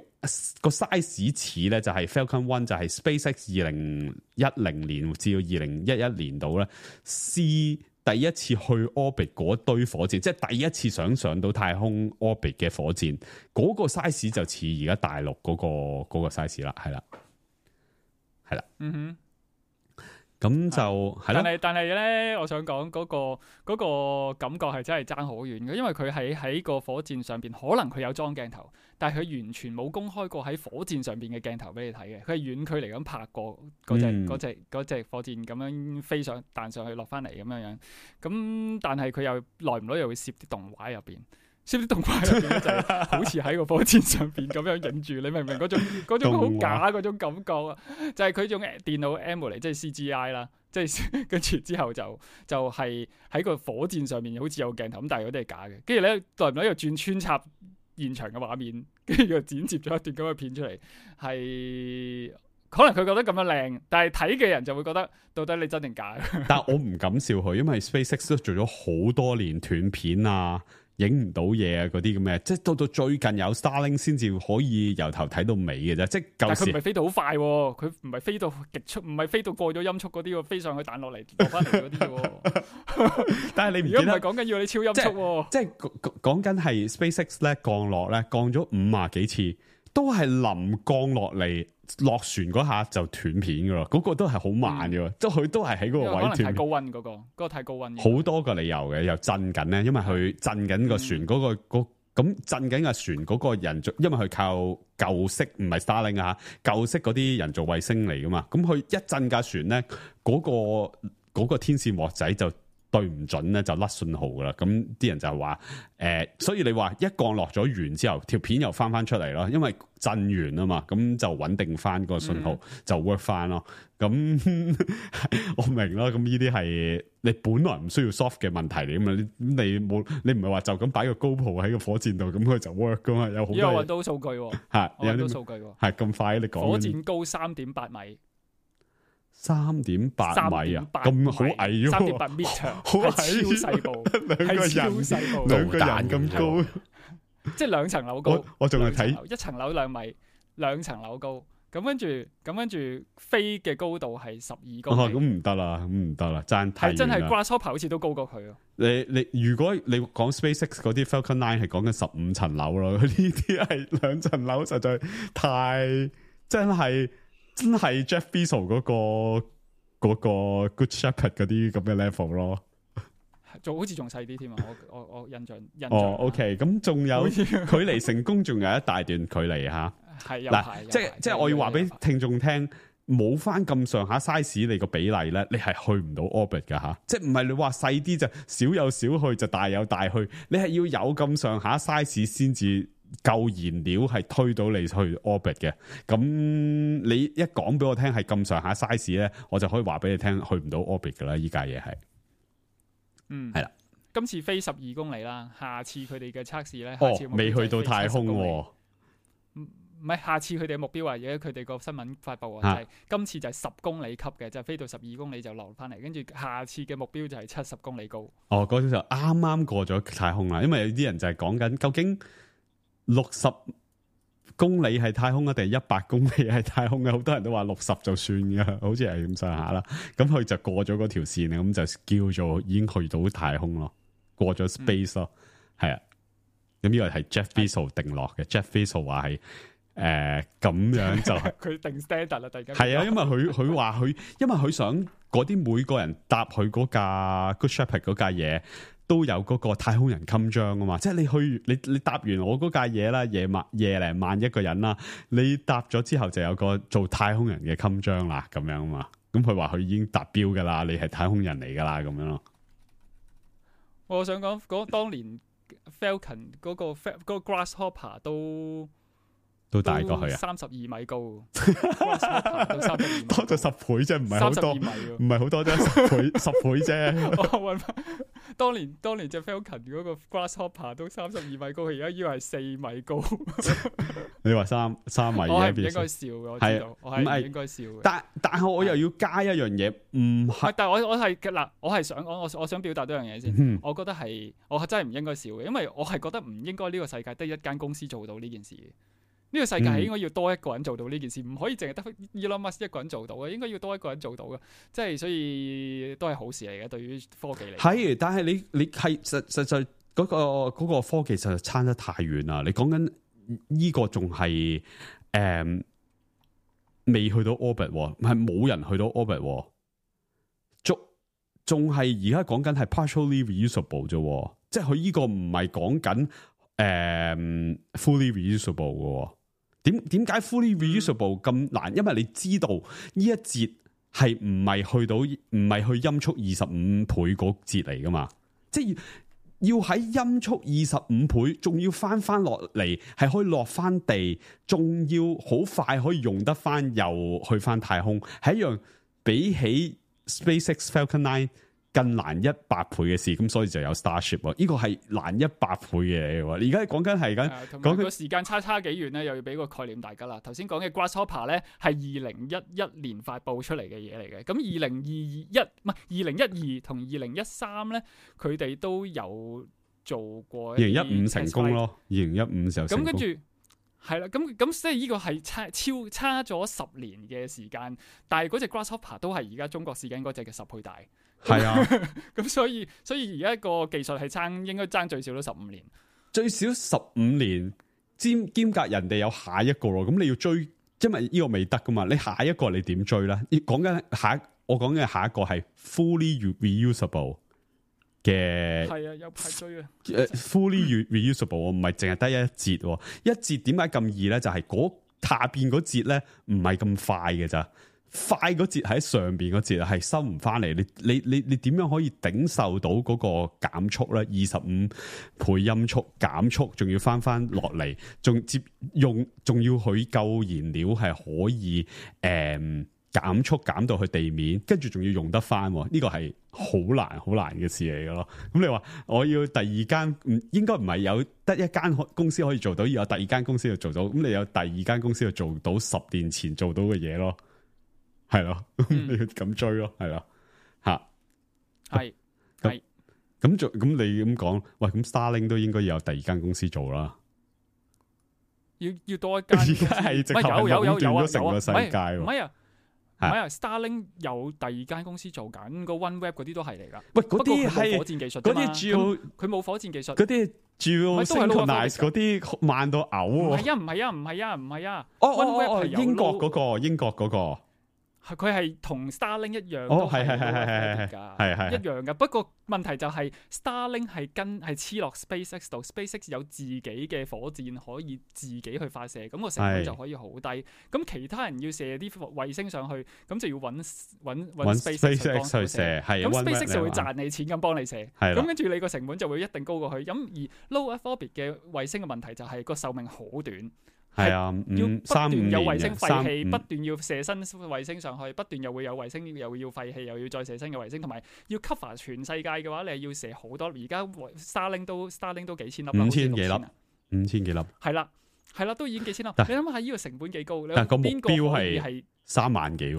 個 size 似咧，就係 Falcon One，就係 SpaceX 二零一零年至到二零一一年度咧，試第一次去 orbit 嗰堆火箭，即係第一次想上到太空 orbit 嘅火箭，嗰個 size 就似而家大陸嗰個嗰個 size 啦，係啦。係啦，嗯哼，咁就係啦。但係但係咧，我想講嗰個嗰個感覺係真係爭好遠嘅，因為佢喺喺個火箭上邊，可能佢有裝鏡頭，但係佢完全冇公開過喺火箭上邊嘅鏡頭俾你睇嘅。佢係遠距離咁拍過嗰隻嗰隻嗰隻火箭咁樣飛上彈上去落翻嚟咁樣樣。咁但係佢又耐唔耐又會攝啲動畫入邊。攝啲動畫入邊咧就係好似喺個火箭上邊咁樣影住，你明唔明嗰種嗰種好假嗰種感覺啊？就係佢用電腦 emulate 即係 C G I 啦，即係跟住之後就就係喺個火箭上面好似有鏡頭咁，但係嗰啲係假嘅。跟住咧，耐唔耐又轉穿插現場嘅畫面，跟住又剪接咗一段咁嘅片出嚟，係可能佢覺得咁樣靚，但係睇嘅人就會覺得到底你真定假？但係我唔敢笑佢，因為 SpaceX 都做咗好多年斷片啊。影唔到嘢啊！嗰啲咁嘅，即係到到最近有 Starlink 先至可以由頭睇到尾嘅啫。即係舊時，佢唔係飛到好快，佢唔係飛到極速，唔係飛到過咗音速嗰啲，飛上去彈落嚟落翻嚟嗰啲。但係你唔記得，而家唔係講緊要你超音速，即係講講緊係 SpaceX 咧降落咧降咗五啊幾次，都係臨降落嚟落船嗰下就斷片噶咯，嗰、嗰個都係好慢嘅，即係佢都係喺嗰個位斷。可能太高溫嗰、嗰個，嗰、嗰個太高溫。好多個理由嘅，又震緊咧，因為佢震緊個船嗰、嗰個嗰咁震緊個船嗰個人造，因為佢靠舊式唔係 Starlink 啊，舊式嗰啲人造衛星嚟噶嘛，咁佢一震架船咧，嗰、嗰個、嗰個天線鑊仔就對唔準咧，就甩信號噶啦。咁啲人就話誒、呃，所以你話一降落咗完之後，條片又翻翻出嚟咯，因為震完啊嘛，咁就穩定翻個信號、嗯、就 work 翻咯。咁我明咯，咁呢啲係你本來唔需要 soft 嘅問題嚟噶嘛，你你冇你唔係話就咁擺個 GoPro喺個火箭度，咁佢就 work 噶嘛，有好多。因為揾到數據喎，係我揾到數據喎，係咁快你講。火箭高三點八米。三點八米啊，咁好矮喎！三點八米長，好矮，超細部，兩個人超細部，兩個人咁高，即係兩層樓高。我我仲係睇一層樓兩米，兩層樓高。咁跟住，咁跟住飛嘅高度係十二公里。哦，咁唔得啦，咁唔得啦，爭太遠啦。係真係 Grasshopper 好似都高過佢咯。你你如果你講 SpaceX 嗰啲 Falcon Nine 係講緊十五層樓咯，呢啲係兩層樓，實在太真係。真係 Jeff Bezos 嗰、嗰個、嗰個 Good Shepherd 嗰啲咁嘅 level 咯，仲好似仲細啲添啊！我我我印象印象。哦 ，OK， 咁仲有距離成功仲有一大段距離吓。係嗱，即係即係我要話俾聽眾聽，冇翻咁上下 size 你個比例咧，你係去唔到 orbit 噶吓。即係唔係你話細啲就少有少去，就大有大去，你係要有咁上下 size 先至。夠燃料係推到你去 orbit 嘅，咁你一講俾我聽係咁上下 size 咧，我就可以話俾你聽去唔到 orbit 噶啦，依家嘢係，嗯，係啦，今次飛十二公里啦，下次佢哋嘅測試咧，哦，未去到太空，唔唔係，下次佢哋嘅目標啊，而家佢哋個新聞發布啊，就係今次就係十公里級嘅，就係飛到十二公里就落翻嚟，跟住下次嘅目標就係七十公里高。哦，嗰陣就啱啱過咗太空啦，因為有啲人就係講緊究竟。六十公里係太空啊，定係一百公里係太空啊？好多人都話六十就算噶，好似係咁上下啦。咁佢就過咗嗰條線，咁就叫做已經去到太空咯，過咗 space 咯，係、嗯、啊。咁呢個係 Jeff Bezos 定落嘅。Jeff Bezos 話係誒咁樣就佢定 standard 啦，大家係啊，因為佢佢話佢，因為佢想嗰啲每個人搭佢嗰架 Good Shepherd 嗰架嘢。都有嗰個太空人襟章啊嘛，即係你去你你搭完我嗰架嘢啦，夜晚夜零晚一個人啦，你搭咗之後就有個做太空人嘅襟章啦，咁樣啊嘛，咁佢話佢已經達標噶啦，你係太空人嚟噶啦，咁樣咯。我想講嗰當年 Falcon 嗰個嗰個 Grasshopper 都。都大過去啊！三十二米高，多咗十倍啫，唔係好多，唔係好多啫，十倍十倍啫。我揾翻當年當年隻 Falcon 嗰個 Grasshopper 都三十二米高，佢而家以為係四米高。你話三三米，我係唔應該笑嘅，我知道，我係唔應該笑嘅。但但係我又要加一樣嘢，唔係。但係我我係嗱，我係想講，我我想表達多樣嘢先。嗯、我覺得係我真係唔應該笑嘅，因為我係覺得唔應該呢個世界得一間公司做到呢件事。呢個世界係應該要多一個人做到呢件事，唔、嗯、可以淨係得 Elon Musk 一個人做到嘅，應該要多一個人做到嘅，即係所以都係好事嚟嘅。對於科技嚟，係，但係你你係實實際嗰個嗰個科技實在差得太遠啦。你講緊呢個仲係誒未去到 orbit， 係冇人去到 orbit， 仲仲係而家講緊係 partially reusable 啫，即係佢呢個唔係講緊誒 fully reusable 嘅。點點解 fully reusable 咁難？因為你知道呢一節係唔係去到唔係去音速二十五倍嗰節嚟噶嘛？即係要喺音速二十五倍，仲要翻翻落嚟，係可以落翻地，仲要好快可以用得翻，又去翻太空，係一樣比起 SpaceX Falcon Nine 更難一百倍嘅事，咁所以就有 Starship 呢個係難一百倍嘅嘢。而家講緊係緊講個時間差差幾遠咧，又要俾個概念大家啦。頭先講嘅 Grasshopper 咧係二零一一年發布出嚟嘅嘢嚟嘅，咁二零二一唔係二零一二同二零一三咧，佢哋都有做過。二零一五成功咯，二零一五時候成功。咁跟住係啦，咁咁即係呢個係差超差咗十年嘅時間，但係嗰隻 Grasshopper 都係而家中國試緊嗰隻嘅十倍大。係啊，咁所以所以而家個技術係爭應該爭最少都十五年，最少十五年。兼兼隔人哋有下一個咯，咁你要追，因為呢個未得噶嘛，你下一個你點追咧？講緊下一，我講緊下一個係 fully reusable 嘅，係啊，有排追啊。誒 fully reusable 唔係淨係得一節，一節點解咁易咧？就係、是、嗰下邊嗰節咧唔係咁快嘅咋。快嗰節喺上邊嗰節係收唔翻嚟，你你你你點樣可以頂受到嗰個減速咧？二十五倍音速減速，仲要翻翻落嚟，仲接用，仲要佢夠燃料係可以誒、嗯、減速減到去地面，跟住仲要用得翻，呢、這個係好難好難嘅事嚟嘅咯。咁你話我要第二間，唔應該唔係有得一間公司可以做到，要有第二間公司去做到，咁你有第二間公司去做到十年前做到嘅嘢咯。係咯，嗯、你要咁追咯，係咯，吓，係係咁做，咁你咁講，喂，咁 Starlink 都應該有第二間公司做啦，要要多一間，而家係直頭係壟斷咗成個世界，唔係啊，唔係啊 ，Starlink 有第二間公司做緊，個 OneWeb 嗰啲都係嚟噶，喂，嗰啲係火箭技術，嗰啲主要佢冇火箭技術，嗰啲主要 synchronize 嗰啲慢到嘔，唔係啊，唔係啊，唔係啊，唔係啊，哦哦哦，英國嗰個，英國嗰個。佢係同 Starlink 一樣，哦，係係係係係係係係一樣噶。不過問題就係 Starlink 係跟係黐落 SpaceX 度 ，SpaceX 有自己嘅火箭可以自己去發射，咁個成本就可以好低。咁其他人要射啲衛星上去，咁就要揾揾揾 SpaceX 去射，咁 SpaceX 就會賺你錢咁幫你射。咁跟住你個成本就會一定高過去。咁而 Low Earth Orbit 嘅衛星嘅問題就係個壽命好短。係啊，要不斷有衛星廢氣，不斷要射新衛星上去，不斷又會有衛星又要廢氣，又要再射新嘅衛星，同埋要 cover 全世界嘅話，你係要射好多。而家 Starlink 都 Starlink 都幾千粒，五千幾粒，五千幾粒，係啦，係啦，都已經幾千粒。你諗下呢個成本幾高？但個目標係三萬幾，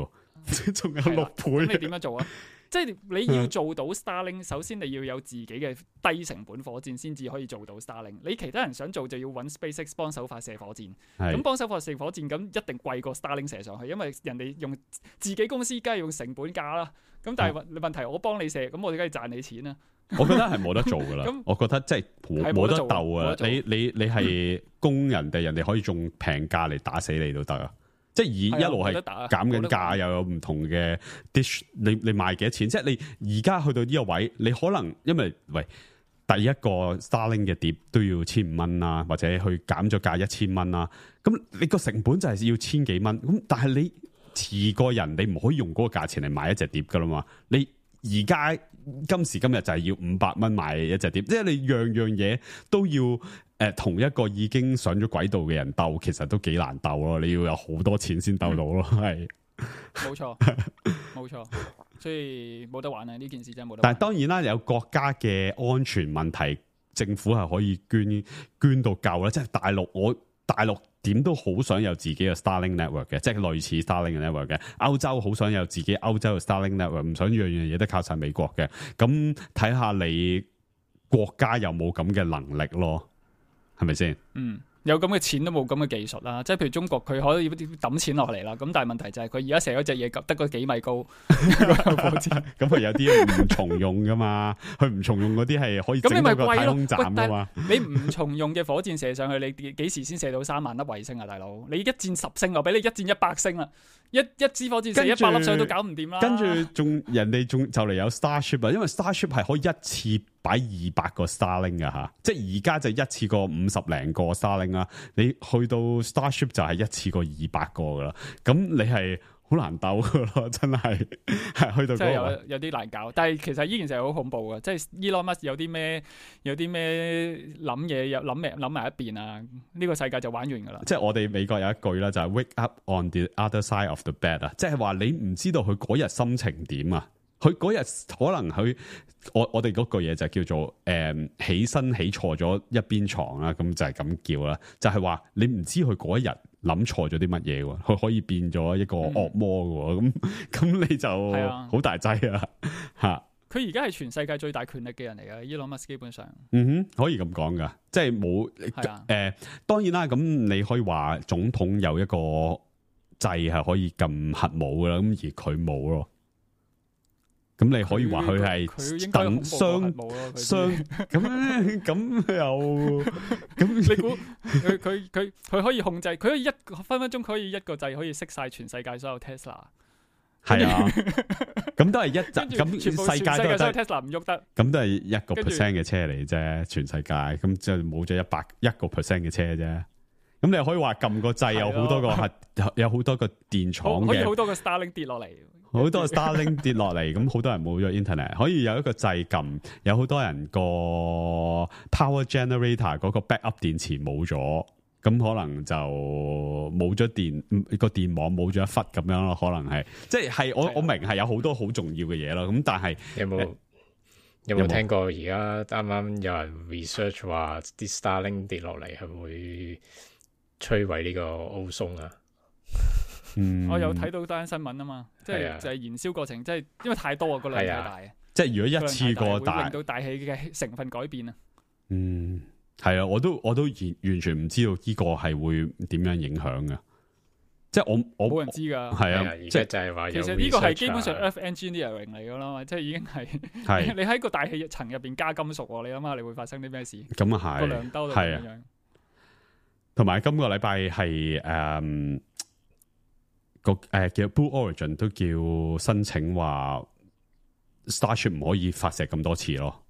仲有六倍。咁你點樣做啊？即係你要做到 Starlink，首先你要有自己嘅低成本火箭先至可以做到 Starlink。你其他人想做就要揾 SpaceX 幫手發射火箭，咁幫手發射火箭咁一定貴過 Starlink 射上去，因為人哋用自己公司梗係用成本價啦。咁但係問題我幫你射，咁我哋梗係賺你錢啦。我覺得係冇得做噶啦，我覺得即係冇得鬥啊！你你你係供人哋，人哋可以用平價嚟打死你都得啊！即係而一路係減緊價，又有唔同嘅 dish，你你賣幾多錢？即係你而家去到呢個位，你可能因為喂第一個 Starlink 嘅碟都要千五蚊啦，或者去減咗價一千蚊啦，咁你個成本就係要千幾蚊。咁但係你遲個人，你唔可以用嗰個價錢嚟買一隻碟噶啦嘛？你而家今時今日就係要五百蚊買一隻碟，即係你樣樣嘢都要。誒，同一個已經上咗軌道嘅人鬥，其實都幾難鬥咯。你要有好多錢先鬥到咯，係、嗯。冇錯，冇錯，所以冇得玩啊！呢件事真係冇得玩。但係當然啦，有國家嘅安全問題，政府係可以捐捐到夠啦。即係大陸，我大陸點都好想有自己嘅 Starlink network 嘅，即係類似 Starlink 嘅 network 嘅。歐洲好想有自己歐洲嘅 Starlink network，唔想樣樣嘢都靠晒美國嘅。咁睇下你國家有冇咁嘅能力咯。係咪先？嗯，有咁嘅錢都冇咁嘅技術啦。即係譬如中國，佢可以抌錢落嚟啦。咁但係問題就係佢而家射嗰隻嘢得個幾米高，咁佢有啲唔重用噶嘛？佢唔重用嗰啲係可以整到個太空站噶嘛？你唔重用嘅火箭射上去，你幾時先射到三萬粒衛星啊，大佬？你一箭十星，我俾你一箭一百星啦！一一支火箭射一百粒上去都搞唔掂啦。跟住仲人哋仲就嚟有 Starship 啊，因為 Starship 係可以一次擺二百個 Starlink 噶吓，即係而家就一次過五十零個 Starlink 啦。你去到 Starship 就係一次過二百個噶啦，咁你係好難鬥噶咯，真係係去到嗰個。即係有有啲難搞，但係其實呢件事係好恐怖噶，即係 Elon Musk 有啲咩有啲咩諗嘢，又諗埋諗埋一邊啊，呢個世界就玩完噶啦。即係我哋美國有一句啦，就係 Wake up on the other side of the bed 啊，即係話你唔知道佢嗰日心情點啊。佢嗰日可能佢我我哋嗰句嘢就叫做誒、嗯、起身起錯咗一邊床啦，咁就係咁叫啦，就係、是、話你唔知佢嗰一日諗錯咗啲乜嘢喎，佢可以變咗一個惡魔嘅喎，咁咁、嗯、你就好大劑啊嚇！佢而家係全世界最大權力嘅人嚟嘅，Elon Musk基本上，嗯哼，可以咁講噶，即係冇誒，當然啦，咁你可以話總統有一個掣係可以撳核武噶啦，咁而佢冇咯。咁你可以話佢係等雙雙咁咁又咁你估佢佢佢佢可以控制，佢可以一分分鐘可以一個掣可以熄晒全世界所有 Tesla。係啊，咁都係一陣咁世界都係 Tesla 唔喐得，咁都係一個 percent 嘅車嚟啫，全世界咁就冇咗一百一個 percent 嘅車啫。咁你可以話撳個掣有好多個核，有好多個電廠嘅，可以好多個 Starlink 跌落嚟。好多 Starlink 跌落嚟，咁好多人冇咗 internet， 可以有一個掣撳，有好多人個 power generator 嗰個 backup 電池冇咗，咁可能就冇咗電個電網冇咗一忽咁樣咯，可能係即係我我明係有好多好重要嘅嘢咯，咁但係有冇有冇聽過而家啱啱有人 research 話啲 Starlink 跌落嚟係會摧毀呢個 ozone 啊？嗯，我有睇到單新聞啊嘛，即係就係燃燒過程，即係因為太多啊，個量太大啊，即係如果一次過大，會令到大氣嘅成分改變啊。嗯，係啊，我都我都完完全唔知道呢個係會點樣影響嘅，即係我我冇人知噶，係啊，即係就係話，其實呢個係基本上 Earth Engineering 嚟噶啦，即係已經係你喺個大氣層入邊加金屬，你諗下你會發生啲咩事？咁啊係個量兜到咁樣，同埋今個禮拜係誒。個誒、呃、叫 Blue Origin 都叫申請話 Starship 唔可以發射咁多次咯，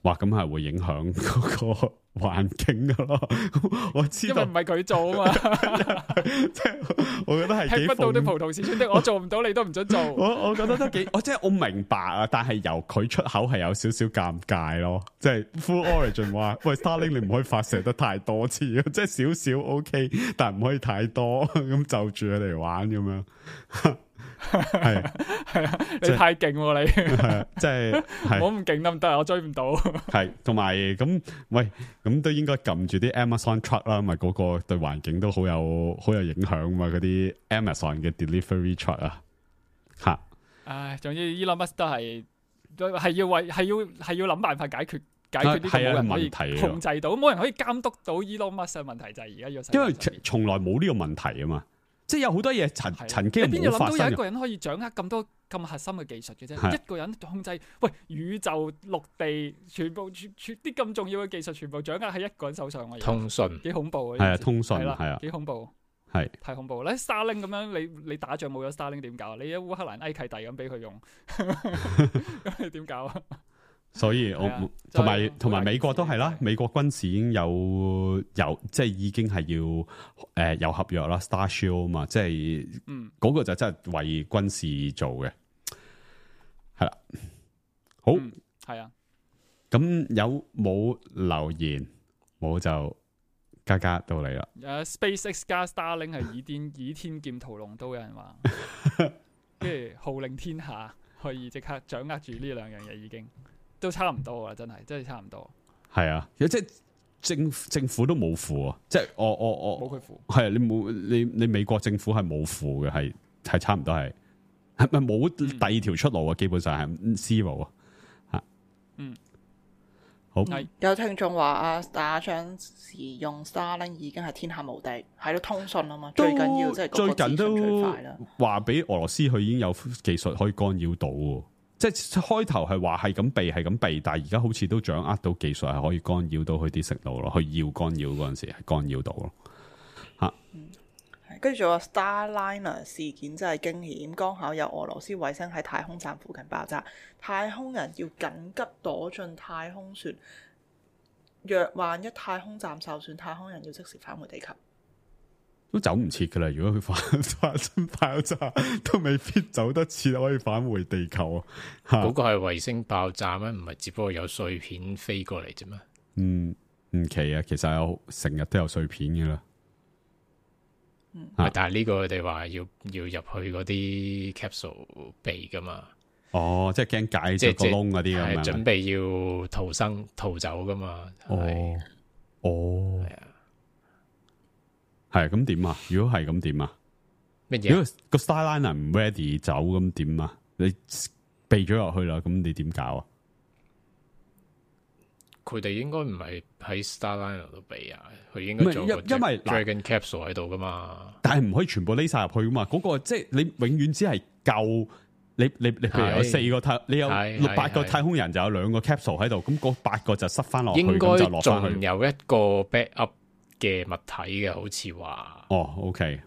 哇咁係會影響嗰個環境噶咯。我知道，因為唔係佢做啊嘛，即係我覺得係吃不到的葡萄是酸的，我做唔到你都唔准做。我我覺得都幾，我即係我明白啊，但係由佢出口係有少少尷尬咯。即係 Blue Origin 話喂 Starlink 你唔可以發射得太多次，即係少少 OK， 但係唔可以太多，咁就住佢嚟玩咁樣。係係啊，你太勁喎你，即係我唔勁得唔得？我追唔到。係同埋咁，喂，咁都應該撳住啲 Amazon truck 啦，咪嗰個對環境都好有好有影響嘛，嗰啲 Amazon 嘅 delivery truck 啊，吓。唉，總之 Elon Musk 都係係要為係要係要諗辦法解決解決呢個冇人可以控制到，冇人可以監督到 Elon Musk 嘅問題就係而家要。因為從來冇呢個問題啊嘛。即係有好多嘢曾曾經冇發生嘅。你邊有諗到有一個人可以掌握咁多咁核心嘅技術嘅啫？一個人控制喂宇宙、陸地全部全全啲咁重要嘅技術，全部掌握喺一個人手上。我通訊幾恐怖啊！係啊，通訊係啊，幾恐怖，係太恐怖啦！Starlink 咁樣，你你打仗冇咗 Starlink 點搞？你喺烏克蘭埃契弟咁俾佢用，咁你點搞啊？所以我同埋同埋美國都係啦，美國軍事已經有有即係已經係要誒、呃、有合約啦 ，Star Shield 嘛，即係嗯嗰個就真係為軍事做嘅，係啦，好係、嗯、啊，咁有冇留言？冇就加加到你啦。誒、uh, ，SpaceX 加 Starlink 係倚天倚天劍屠龍刀，有人話，跟住號令天下，可以即刻掌握住呢兩樣嘢已經。都差唔多啊，真係真係差唔多。係啊，即係政政府都冇符啊，即係我我我冇佢符。係啊，你冇你你美國政府係冇符嘅，係係差唔多係係咪冇第二條出路啊？嗯、基本上係 zero 啊。吓，嗯，好。有聽眾話啊，打仗時用 Starlink 已經係天下無敵，喺度通訊啊嘛。最緊要即係最近都話俾俄羅斯佢已經有技術可以干擾到。即係開頭係話係咁避係咁避，但係而家好似都掌握到技術係可以干擾到佢啲食路咯，佢要干擾嗰陣時係干擾到咯。吓、嗯，跟住仲有 Starliner 事件真係驚險，剛巧有俄羅斯衛星喺太空站附近爆炸，太空人要緊急躲進太空船。若萬一太空站受損，太空人要即時返回地球。都走唔切噶啦！如果佢發發生爆炸，都未必走得切，可以返回地球啊！嗰個係衛星爆炸咩？唔係只不過有碎片飛過嚟啫咩？嗯，唔奇啊！其實有成日都有碎片噶啦。嗯，但係呢個佢哋話要要入去嗰啲 capsule 避噶嘛？哦，即係驚解咗個窿嗰啲咁樣，準備要逃生逃走噶嘛？哦，哦，係啊。係咁點啊？如果係咁點啊？乜嘢？如果個 Starliner 唔 ready 走咁點啊？你避咗落去啦，咁你點搞啊？佢哋應該唔係喺 Starliner 度避啊，佢應該做個 Dragon Capsule 喺度噶嘛。但係唔可以全部匿晒入去噶嘛？嗰、嗰個即係你永遠只係救你你你譬如有四個太，你有六八個太空人就有兩個 capsule 喺度，咁嗰八個就塞翻落去，咁就落翻去。應該仲有一個 backup 嘅物體嘅，好似話。哦 ，OK，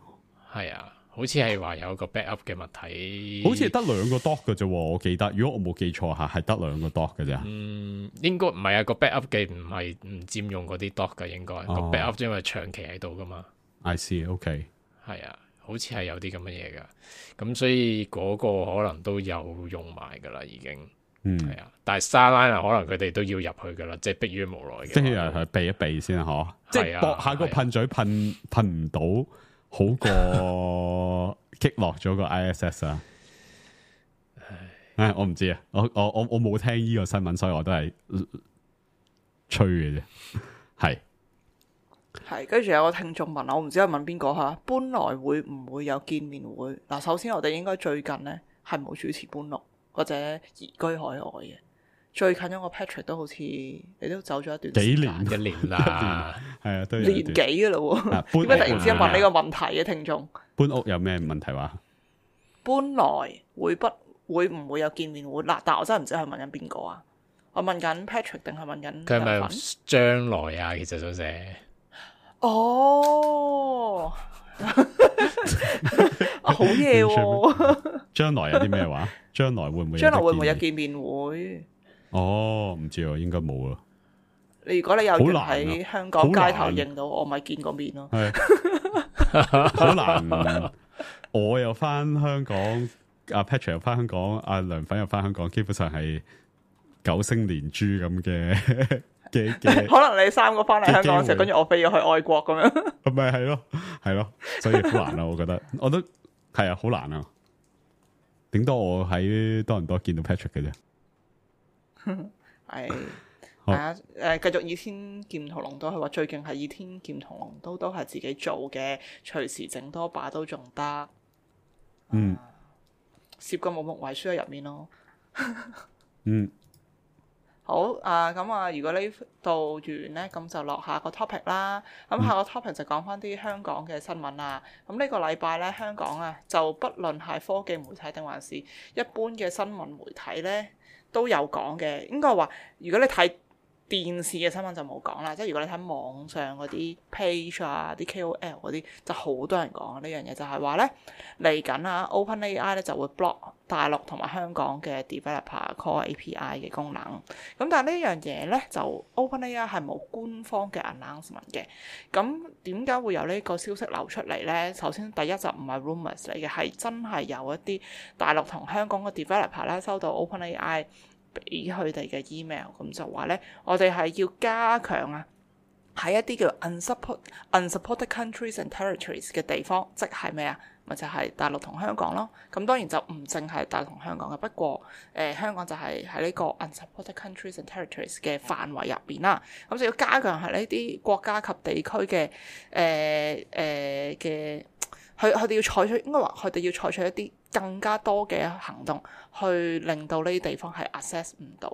係啊，好似係話有個 backup 嘅物體，好似係得兩個 dock 嘅啫。我記得，如果我冇記錯下，係得兩個 dock 嘅啫。嗯，應該唔係啊，個 backup 嘅唔係唔佔用嗰啲 dock 嘅，應該個 backup 因為長期喺度噶嘛。I see，OK， 係啊。好似係有啲咁嘅嘢噶，咁所以嗰個可能都有用埋噶啦，已經，嗯，係啊。但係 Starliner 可能佢哋都要入去噶啦，即係迫於無奈嘅。即係係避一避先嗬，即係搏下個噴嘴噴噴唔到，好過擊落咗個 I S S 啊！唉，我唔知啊，我我我我冇聽呢個新聞，所以我都係吹嘅啫，係。係，跟住有個聽眾問我，唔知係問邊個吓？搬來會唔會有見面會？嗱，首先我哋應該最近咧係冇主持搬來或者移居海外嘅。最近一個 Patrick 都好似你都走咗一段時間幾年一年啦，係啊，都年幾噶啦喎？點解突然之間問呢個問題嘅聽眾？搬屋有咩問題話？搬來會不會唔會有見面會？嗱，但我真係唔知係問緊邊個啊？我問緊 Patrick 定係問緊佢係咪將來啊？其實想寫。哦，好嘢喎！將來有啲咩話？將來會唔會？將來會唔會有見面會？哦，唔知啊，應該冇啊。你如果你有緣喺香港街頭認到我，咪見個面咯。係好難。我又翻香港，阿 Patrick 又翻香港，阿梁粉又翻香港，基本上係九星連珠咁嘅。可能你三個翻嚟香港嘅時候，跟住我飛咗去外國咁樣，咁咪係咯，係咯，所以好難啊！我覺得，我都係啊，好難啊！頂多我喺多倫多見到 Patrick 嘅啫，係係啊，誒，繼續倚天劍屠龍刀，佢話最勁係倚天劍屠龍刀都係自己做嘅，隨時整多把都仲得，嗯，攝個木木遺書喺入面咯，嗯。好啊，咁啊，如果呢度完呢，咁就落下個 topic 啦。咁下個 topic 就講翻啲香港嘅新聞啦。咁呢個禮拜呢，香港啊，就不論係科技媒體定還是一般嘅新聞媒體呢，都有講嘅。應該話，如果你睇電視嘅新聞就冇講啦，即係如果你睇網上嗰啲 page 啊、啲 K O L 嗰啲，就好多人講呢樣嘢，就係話呢，嚟緊啊 OpenAI 咧就會 block 大陸同埋香港嘅 developer call A P I 嘅功能。咁但係呢樣嘢呢，就 OpenAI 係冇官方嘅 announcement 嘅。咁點解會有呢個消息流出嚟呢？首先第一就唔係 rumors 嚟嘅，係真係有一啲大陸同香港嘅 developer 啦收到 OpenAI俾佢哋嘅 email， 咁就話咧，我哋係要加強啊，喺一啲叫 unsupport unsupported countries and territories 嘅地方，即係咩啊？咪就係、是、大陸同香港咯。咁當然就唔淨係大陸同香港嘅，不過誒、呃、香港就係喺呢個 unsupported countries and territories 嘅範圍入邊啦。咁就要加強喺呢啲國家及地區嘅誒誒嘅。佢佢哋要採取，應該話佢哋要採取一啲更加多嘅行動，去令到呢啲地方係 access 唔到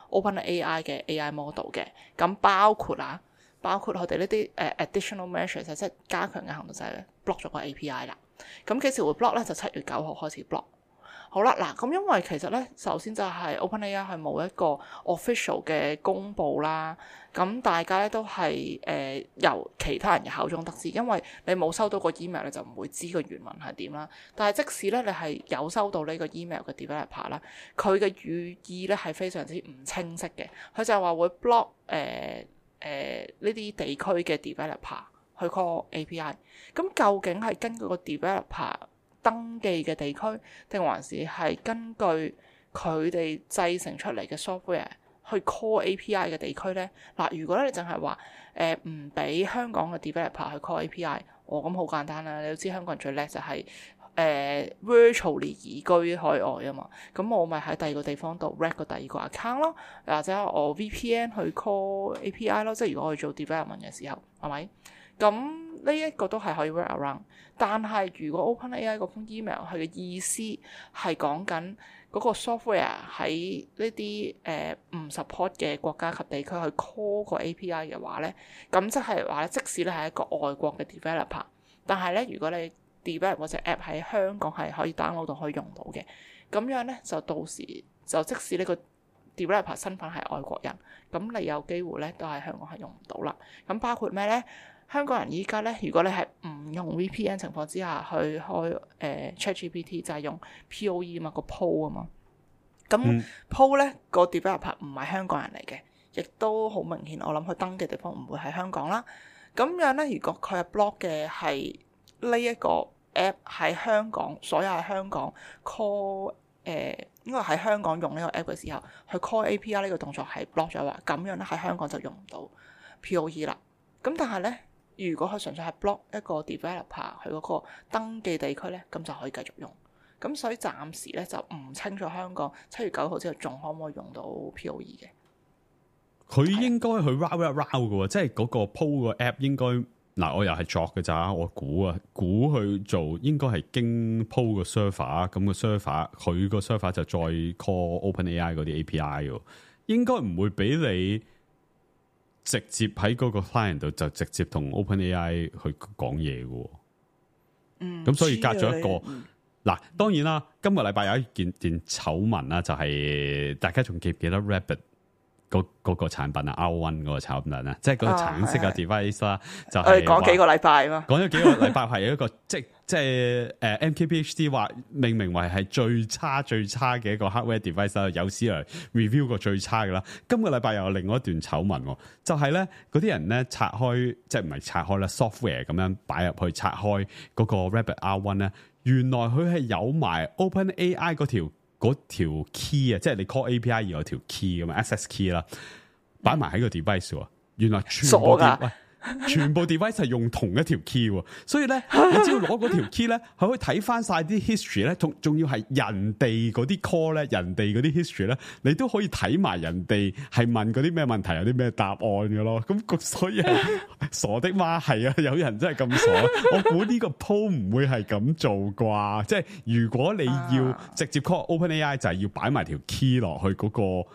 OpenAI 嘅 A I model 嘅。咁包括啊，包括佢哋呢啲誒 additional measures，即係加強嘅行動就係 block 咗個 A P I 啦。咁幾時會 block 咧？就七月九號開始 block。好啦，嗱，咁因為其實咧，首先就係 OpenAI 係冇一個 official 嘅公佈啦，咁大家咧都係誒、呃、由其他人嘅口中得知，因為你冇收到個 email，你就唔會知個原文係點啦。但係即使咧你係有收到呢個 email 嘅 developer 啦，佢嘅語意咧係非常之唔清晰嘅，佢就係話會 block 誒誒呢啲地區嘅 developer 去 call A P I。咁究竟係根據個 developer登記嘅地區，定還是係根據佢哋製成出嚟嘅 software 去 call A P I 嘅地區呢？嗱，如果咧你淨係話誒唔俾香港嘅 developer 去 call A P I， 哦咁好簡單啦，你都知香港人最叻就係、是、誒、呃、virtually 移居海外啊嘛，咁我咪喺第二個地方度 rec 個第二個 account 咯，或者我 V P N 去 call A P I 咯，即係如果我去做 development 嘅時候，係咪？咁呢一個都係可以 work around， 但係如果 OpenAI 嗰封 email 佢嘅意思係講緊嗰個 software 喺呢啲誒唔 support 嘅國家及地區去 call 個 A P I 嘅話咧，咁即係話咧，即使你係一個外國嘅 developer， 但係咧如果你 develop 嗰隻 app 喺香港係可以 download 到可以用到嘅，咁樣咧就到時就即使呢個 developer 身份係外國人，咁你有機會咧都喺香港係用唔到啦。咁包括咩咧？香港人依家咧，如果你係唔用 V P N 情況之下去開誒、呃、ChatGPT，就係用 P O E 啊嘛，個 Poe 啊嘛。咁 Poe 咧個 developer 唔係香港人嚟嘅，亦都好明顯。我諗佢登記地方唔會喺香港啦。咁樣咧，如果佢係 block 嘅係呢一個 app 喺香港，所有喺香港 call 誒、呃，應該喺香港用呢個 app 嘅時候，去 call A P I 呢個動作係 block 咗話，咁樣咧喺香港就用唔到 P O E 啦。咁但係咧，如果佢純粹係 block 一個 developer 佢嗰個登記地區咧，咁就可以繼續用。咁所以暫時咧就唔清楚香港七月九號之後仲可唔可以用到 P O E 嘅。佢應該去 route 一 route 嘅喎，即係嗰個 Poe 個 app 應該嗱，我又係作嘅咋，我估啊，估去做應該係經 Poe 個 server，咁個 server 佢個 server 就再 call OpenAI 嗰啲 A P I 喎，應該唔會俾你直接喺嗰個 client 度就直接同 OpenAI 去講嘢嘅。嗯，咁所以隔咗一個嗱、嗯，當然啦，今個禮拜有一件件醜聞啦，就係、是、大家仲記唔記得 Rabbit 嗰嗰個產品啊 R 一 嗰個產品啊，即係嗰個橙色嘅 device 啦、啊，就係講幾個禮拜嘛，講咗幾個禮拜係一個即即係誒 M K B H D 話命名為係最差最差嘅一個 hardware device 啦，有史嚟 review 過最差嘅啦。今個禮拜又有另外一段醜聞，就係咧嗰啲人咧拆開即係唔係拆開啦 software 咁樣擺入去拆開嗰個 Rabbit R 一 咧，原來佢係有埋 OpenAI 嗰條。嗰條 key 啊，即係你 call A P I 要有條 key 咁啊 access key 啦，擺埋喺個 device 喎。原來全部喂，全部 device 係用同一條 key 喎。所以咧，你只要攞嗰條 key 咧，係可以睇翻晒啲 history 咧，仲仲要係人哋嗰啲 call 咧，人哋嗰啲 history 咧，你都可以睇埋人哋係問嗰啲咩問題，有啲咩答案嘅咯。咁所以係傻的嗎？係啊，有人真係咁傻。我估呢個 Poe 唔會係咁做啩。即係如果你要直接 call OpenAI，就係要擺埋條 key 落去嗰個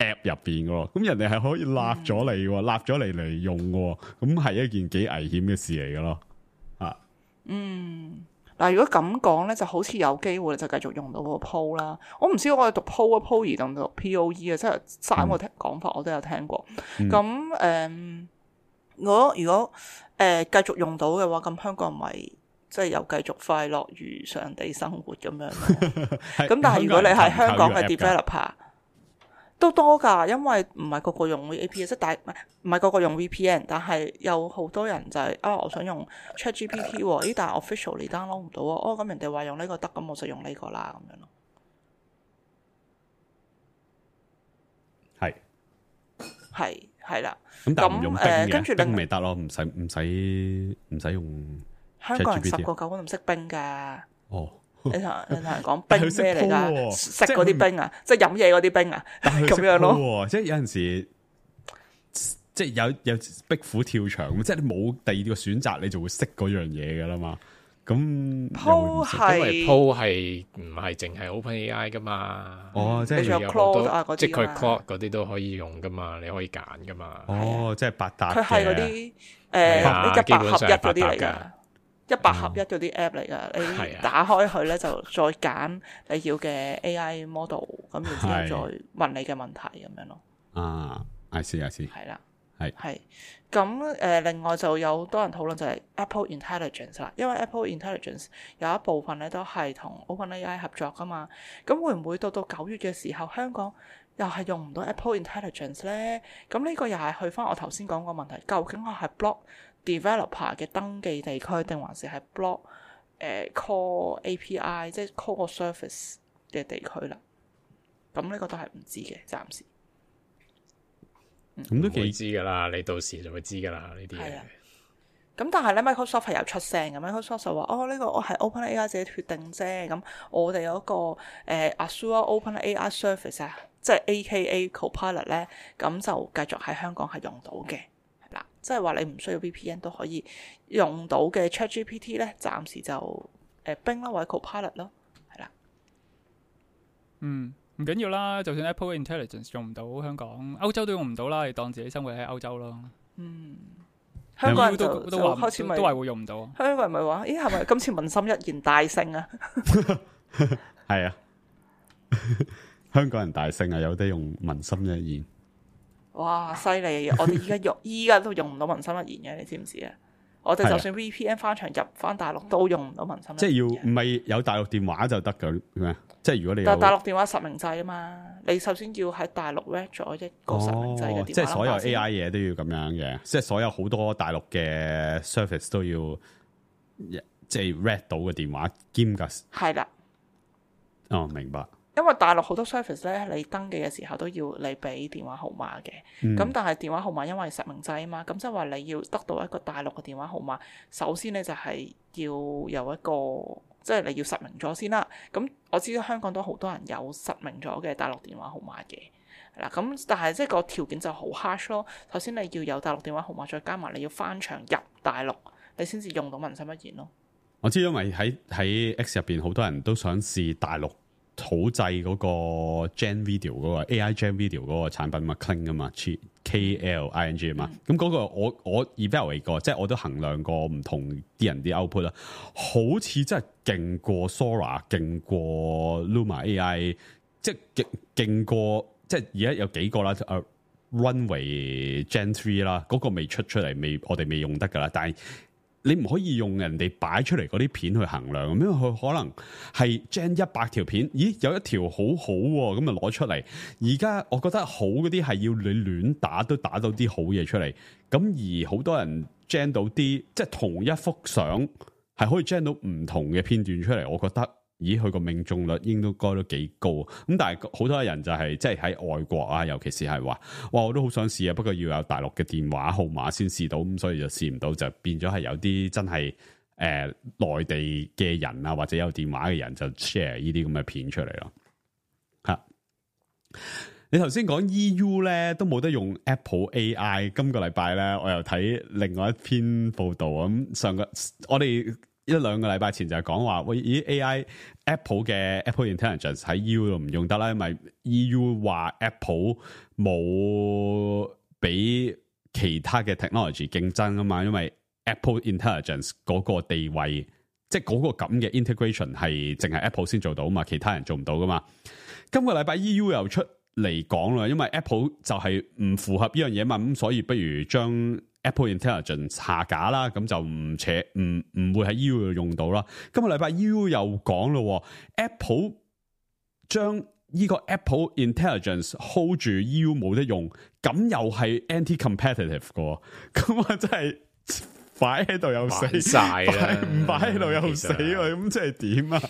app 入邊嘅。咁人哋係可以立咗你，立咗嚟嚟用嘅。咁係一件幾危險嘅事嚟嘅咯。啊，嗯。嗱，如果咁講咧，就好似有機會就繼續用到個 Poe 啦。我唔知我哋讀 Poe 啊 Poe 定讀 P O E 啊，即係三個講法我都有聽過。咁誒、嗯，如果如果誒繼續用到嘅話，咁香港咪即係又繼續快樂如常地生活咁樣咯。咁但係如果你係香港嘅 developer，都多㗎，因為唔係個個用 A P I， 即係大唔係唔係個個用 V P N， 但係有好多人就係、是、啊，我想用 ChatGPT 喎，咦，但係 official 你 download 唔到啊，哦，咁人哋話用呢個得，咁我就用呢個啦，咁樣咯。係係係啦，咁但係唔用冰嘅，跟住冰咪得咯，唔使唔使唔使用。香港人十個九個都唔識冰㗎。哦。你同你同人講冰咩嚟㗎？食嗰啲冰啊，即係飲嘢嗰啲冰啊，咁樣咯。即係有陣時，即係有有壁虎跳牆，即係你冇第二個選擇，你就會識嗰樣嘢㗎啦嘛。咁 Poe 係因為 Poe 係唔係淨係 OpenAI 㗎嘛？哦，即係有 Claude 啊嗰啲，即係佢 Claude 嗰啲都可以用㗎嘛，你可以揀㗎嘛。哦，即係百搭嘅。佢係嗰啲誒一百合一嗰啲嚟㗎。一百合一嗰啲 app 嚟噶，你打開佢咧就再揀你要嘅 A I model，咁然之後再問你嘅問題咁樣咯。啊，I see I see。係啦，係係。咁誒，另外就有多人討論就係 Apple Intelligence 啦，因為 Apple Intelligence 有一部分咧都係同 OpenAI 合作噶嘛。咁會唔會到到九月嘅時候，香港又係用唔到 Apple Intelligence 咧？咁呢個又係去翻我頭先講個問題，究竟我係 block developer 嘅登記地區，定還是係 block 誒、呃、call A P I， 即係 call 個 service 嘅地區啦？咁呢個都係唔知嘅，暫時。咁都幾知噶啦，你到時就會知噶啦呢啲嘢。咁但係咧 ，Microsoft 係有出聲嘅。Microsoft 就話：哦，呢、這個我係 OpenAI 自己決定啫。咁我哋嗰、那個誒、呃、Azure OpenAI Service 啊，即係 A K A Copilot 咧，咁就繼續喺香港係用到嘅。嗱，即係話你唔需要 V P N 都可以用到嘅 ChatGPT 咧，暫時就誒 Bing 啦或者 Copilot 咯，係啦。嗯，唔緊要啦，就算 Apple Intelligence 用唔到香港，歐洲都用唔到啦，你當自己生活喺歐洲咯。嗯，香港人就都都話開始都係會用唔到。香港人咪話：咦，係咪今次民心一言大勝啊？係啊，香港人大勝啊，有得用文心一言。哇，犀利！我哋依家用依家都用唔到文心一言嘅，你知唔知啊？我哋就算 V P N 翻牆入翻大陸都用唔到文心一言。即係要唔係有大陸電話就得㗎咩？即係如果你有但係大陸電話實名制啊嘛，你首先要喺大陸 read 咗一個實名制嘅電話、哦、即係所有 A I 嘢都要咁樣嘅，即係所有好多大陸嘅 service 都要即係 read 到嘅電話兼㗎。係啦。哦，明白。因為大陸好多 service 咧，你登記嘅時候都要你俾電話號碼嘅。咁、嗯、但係電話號碼因為實名制啊嘛，咁即係話你要得到一個大陸嘅電話號碼，首先咧就係要有一個，即係你要實名咗先啦。咁我知道香港都好多人有實名咗嘅大陸電話號碼嘅，係啦。咁但係即係個條件就好 harsh 咯。首先你要有大陸電話號碼，再加埋你要翻牆入大陸，你先至用到文心一言咯。我知因為喺喺 X 入邊好多人都想試大陸土製嗰個 Gen Video 嗰個 A I Gen Video 嗰個產品嘛 Kling 啊嘛 K L I N G 啊嘛，咁嗰、嗯、個我我 evaluate 過，即係我都衡量過唔同啲人啲 output 啦，好似真係勁過 Sora， 勁過 Luma A I， 即係勁勁過，即係而家有幾個啦、uh, Runway Gen Three 啦，嗰個未出出嚟，未我哋未用得噶啦，但係。你唔可以用人哋擺出嚟嗰啲片去衡量，因為佢可能係 Gen 一百條片，咦有一條好好喎，咁啊攞出嚟。而家我覺得好嗰啲係要你亂打都打到啲好嘢出嚟，咁而好多人 Gen 到啲即係同一幅相係可以 Gen 到唔同嘅片段出嚟，我覺得。咦，佢個命中率應該都幾高，咁但係好多人就係即係喺外國啊，尤其是係話，哇，我都好想試啊，不過要有大陸嘅電話號碼先試到，咁所以就試唔到，就變咗係有啲真係誒內地嘅人啊，或者有電話嘅人就 share 呢啲咁嘅片出嚟咯。吓，你頭先講 E U 咧都冇得用 Apple A I， 今個禮拜咧我又睇另外一篇報道，咁上個我哋。一兩個禮拜前就係講話，喂，咦 A I Apple 嘅 Apple Intelligence 喺 E U 度唔用得啦，因為 E U 話 Apple 冇俾其他嘅 technology 競爭啊嘛，因為 Apple Intelligence 嗰個地位，即係嗰個咁嘅 integration 係淨係 Apple 先做到嘛，其他人做唔到噶嘛。今個禮拜 E U 又出嚟講啦，因為 Apple 就係唔符合呢樣嘢嘛，咁所以不如將Apple Intelligence 下架啦，咁就唔扯唔唔會喺 E U 度用到啦。今個禮拜 E U 又講咯 ，Apple 將呢個 Apple Intelligence hold 住 E U 冇得用，咁又係 anti-competitive 嘅，咁啊真係擺喺度又死晒啦，唔擺喺度又死，咁即係點啊？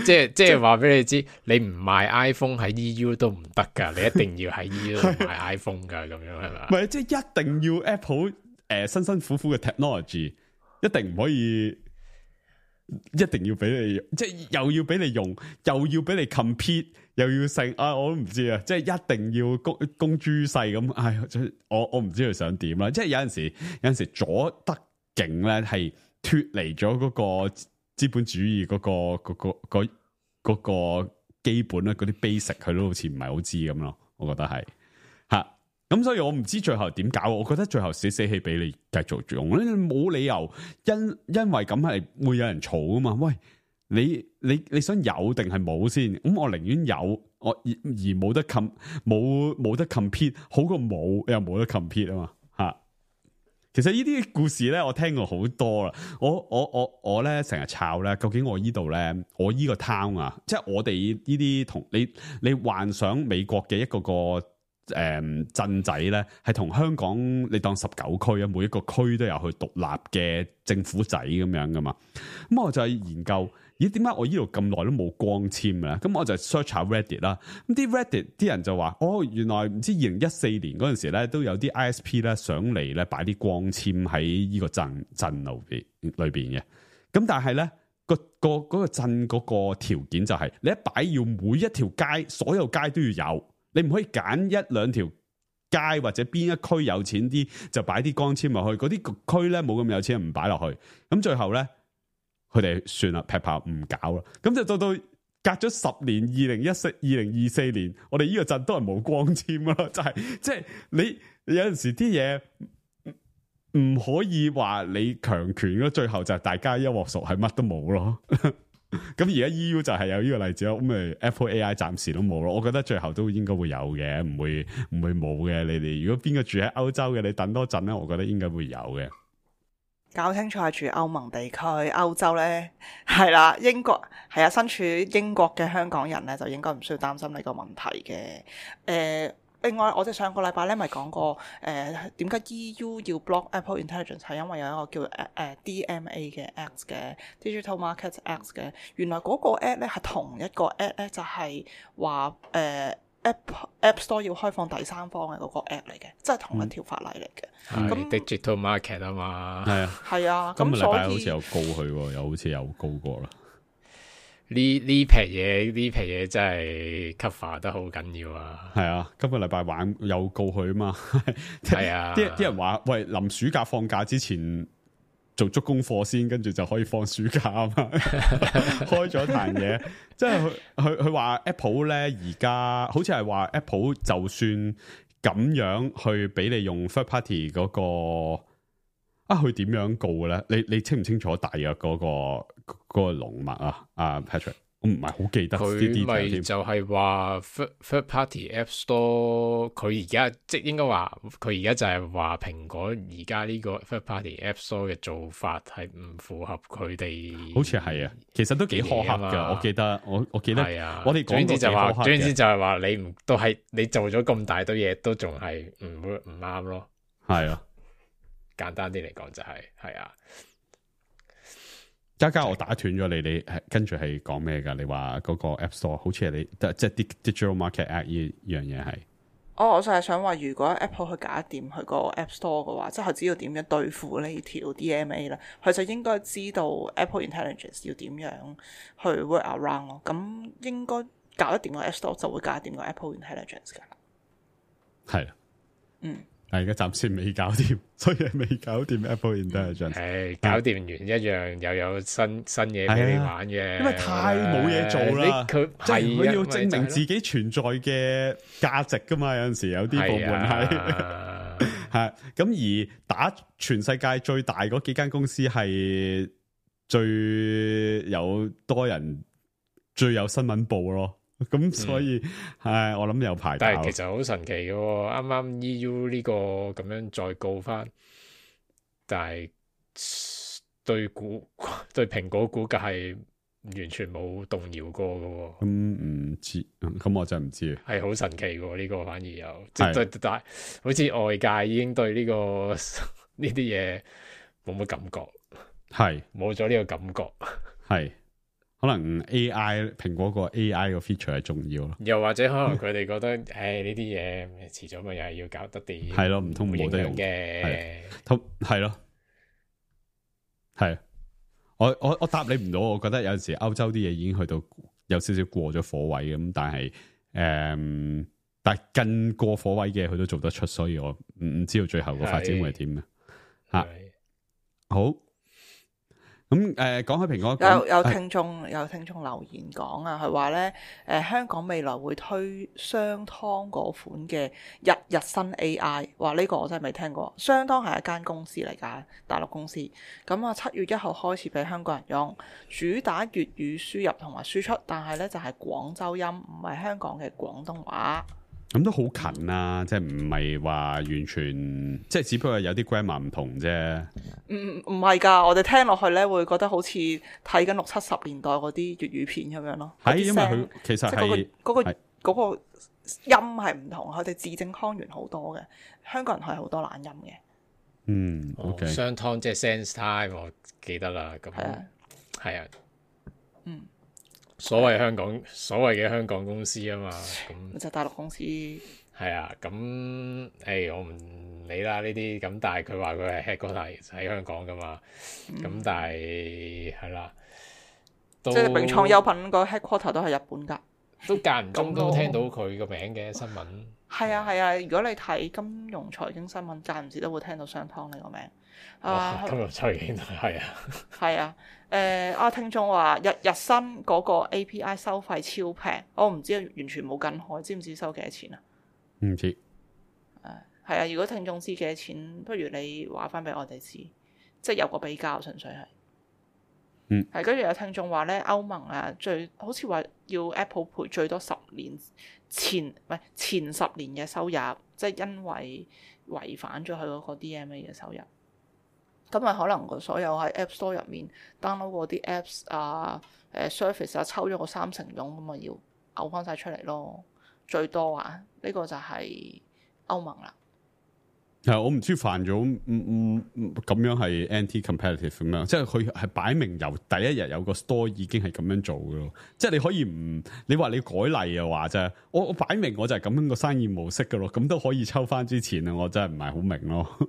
即係即係話俾你知，你唔賣 iPhone 喺 E U 都唔得噶，你一定要喺 E U 買 iPhone 噶，咁樣係嘛？唔係，即係一定要 Apple 誒、呃、辛辛苦苦嘅 technology， 一定唔可以，一定要俾你，即係又要俾你用，又要俾你 compete， 又要成啊！我都唔知啊，即係一定要公公諸世咁。唉，我我唔知佢想點啦。即係有陣時，有陣時左得勁咧，係脫離咗嗰個資本主義嗰、嗰個、嗰個、嗰個、嗰個基本咧，嗰啲 basic 佢都好似唔係好知咁咯。我覺得係吓，咁所以我唔知最後點搞。我覺得最後死死氣俾你繼續用咧，冇理由因因為咁係會有人嘈啊嘛。喂，你你你想有定係冇先？咁我寧願有，我而而冇得 com 冇冇得 compete， 好過冇又冇得 compete 啊嘛吓。其實呢啲故事咧，我聽過好多啦。我我我我咧成日抄咧，究竟我呢度咧，我呢個 town 啊，即係我哋呢啲同你你幻想美國嘅一個個誒鎮仔咧，係同香港你當十九區啊，每一個區都有佢獨立嘅政府仔咁樣噶嘛。咁我就係研究。咦？點解我呢度咁耐都冇光纖嘅咧？咁我就 search 下 Reddit 啦。咁啲 Reddit 啲人就話：哦，原來唔知二零一四年嗰陣時咧，都有啲 I S P 咧上嚟咧擺啲光纖喺呢個鎮鎮路邊裏邊嘅。咁但係咧個個嗰個鎮嗰個條件就係、是、你一擺要每一條街所有街都要有，你唔可以揀一兩條街或者邊一區有錢啲就擺啲光纖落去，嗰啲區咧冇咁有錢唔擺落去。咁最後咧。佢哋算啦，劈炮唔搞啦，咁就到到隔咗十年，二零一四、二零二四年，我哋呢個鎮都係冇光纖咯，就係即係你有陣時啲嘢唔可以話你強權咯，最後就係大家一鑊熟，係乜都冇咯。咁而家 E U 就係有呢個例子咯，咁咪 Apple A I 暫時都冇咯。我覺得最後都應該會有嘅，唔會唔會冇嘅。你哋如果邊個住喺歐洲嘅，你等多陣咧，我覺得應該會有嘅。搞清楚係住歐盟地區，歐洲咧係啦，英國係啊，身處英國嘅香港人咧就應該唔需要擔心呢個問題嘅。誒、呃，另外我哋上個禮拜咧咪講過誒點解 E U 要 block Apple Intelligence 係因為有一個叫誒誒、呃、D M A 嘅 Act 嘅 Digital Markets Act 嘅，原來嗰個 Act 咧係同一個 Act 咧就係話誒。App App Store 要開放第三方嘅嗰個 App 嚟嘅，即係同一條法例嚟嘅。咁、嗯、Digital Market 啊嘛，係啊，係啊。今個禮拜所以好似有告佢，又好似有告過啦。呢呢批嘢呢批嘢真係 cover 得好緊要啊！係啊，今個禮拜玩有告佢啊嘛。係啊，啲啲人話喂，臨暑假放假之前做足功課先，跟住就可以放暑假啊嘛。開咗壇嘢，即係佢佢佢話 Apple 咧而家好似係話 Apple 就算咁樣去俾你用 third party 嗰個啊，佢點樣告嘅咧？你你清唔清楚大約嗰個嗰個龍脈啊？啊 Patrick，我唔係好記得啲 detail 佢咪就係話 third party App Store， 佢而家即係應該話佢而家就係話蘋果而家呢個 third party App Store 嘅做法係唔符合佢哋，好似係啊，其實都幾苛刻噶。我記得我我記得係啊，我哋講過就話，總之就係話你唔都係你做咗咁大堆嘢，都仲係唔會唔啱咯。係啊，簡單啲嚟講就係、是、係啊。嘉嘉，我打斷咗你，你跟住係講咩噶？你話嗰個 App Store 好似係你即係 Digital Market Act 呢樣嘢係？哦，我就係想話，如果 Apple 去搞掂佢個 App Store 嘅話，即係佢知道點樣對付呢條 D M A 啦，佢就應該知道 Apple Intelligence 要點樣去 work around 咯。咁應該搞得掂個 App Store 就會搞得掂個 Apple Intelligence 噶。係，嗯。但係而家暫時未搞掂，所以未搞掂 Apple Intelligence。係搞掂完一樣又有新新嘢俾你玩嘅，因為太冇嘢做啦。佢即係佢要證明自己存在嘅價值噶嘛？有陣時有啲部門係係咁而打全世界最大嗰幾間公司係最有多人、最有新聞報咯。咁所以係、嗯、我諗有排，但係其實好神奇嘅，啱啱 E U 呢個咁樣再告翻，但係對股對蘋果股價係完全冇動搖過嘅。咁唔知，咁我真係唔知。係好神奇嘅呢、這個反而有，即係但係好似外界已經對呢、這個呢啲嘢冇乜感覺，係冇咗呢個感覺，係。可能 A I 蘋果個 A I 個 feature 係重要咯，又或者可能佢哋覺得，誒呢啲嘢遲早咪又係要搞得掂，係咯，唔通冇得用嘅，同係咯，係我我我答你唔到，我覺得有陣時歐洲啲嘢已經去到有少少過咗火位咁，但係誒、嗯，但係更過火位嘅佢都做得出，所以我唔唔知道最後個發展會係點嘅吓。好。咁誒，講開蘋果，有有聽眾有聽眾留言講啊，佢話咧誒，香港未來會推商湯嗰款嘅日日新 A I， 話呢個我真係未聽過。商湯係一間公司嚟㗎，大陸公司。咁啊，七月一號開始俾香港人用，主打粵語輸入同埋輸出，但係咧就係廣州音，唔係香港嘅廣東話。咁都好近啊，即係唔係話完全，即係只不過有啲 grammar 唔同啫。唔唔係㗎，我哋聽落去咧會覺得好似睇緊六七十年代嗰啲粵語片咁樣咯。係因為佢其實係嗰、嗰個嗰、嗰個音係唔同，佢哋字正腔圓好多嘅。香港人係好多懶音嘅。嗯 ，OK。商湯即係 sense time，我記得啦。咁係啊，係啊，嗯。所謂香港，所謂嘅香港公司啊嘛，咁就大陸公司。係啊，咁誒、欸，我唔理啦呢啲，咁但係佢話佢係 headquarter 喺香港噶嘛，咁、嗯、但係係啦，即係永創優品個 headquarter 都係日本㗎，都間唔中都聽到佢個名嘅新聞。係啊係啊，如果你睇金融財經新聞，間唔時都會聽到商湯呢個名。啊，金融財經係啊，係啊。誒、呃，啊聽眾話日日新嗰個 A P I 收費超平，我唔知完全冇跟開，知唔知收幾多錢啊？唔知。誒、呃，係啊，如果聽眾知幾多錢，不如你話翻俾我哋知，即係有個比較，純粹係。嗯，係跟住有聽眾話咧，歐盟啊，最好似話要 Apple 賠最多十年前唔係前十年嘅收入，即係因為違反咗佢嗰個 D M A 嘅收入。咁啊，可能個所有喺 App Store 入面 download 嗰啲 Apps 啊、誒 Surface 啊，抽咗個三成佣，咁啊要嘔翻晒出嚟咯。最多啊，呢、這個就係歐盟啦。係我唔知犯咗唔唔咁樣係 anti-competitive 咁樣，即係佢係擺明由第一日有個 store 已經係咁樣做嘅咯。即係你可以唔你話你改例嘅話啫，我我擺明我就係咁樣個生意模式嘅咯，咁都可以抽翻之前啊，我真係唔係好明咯，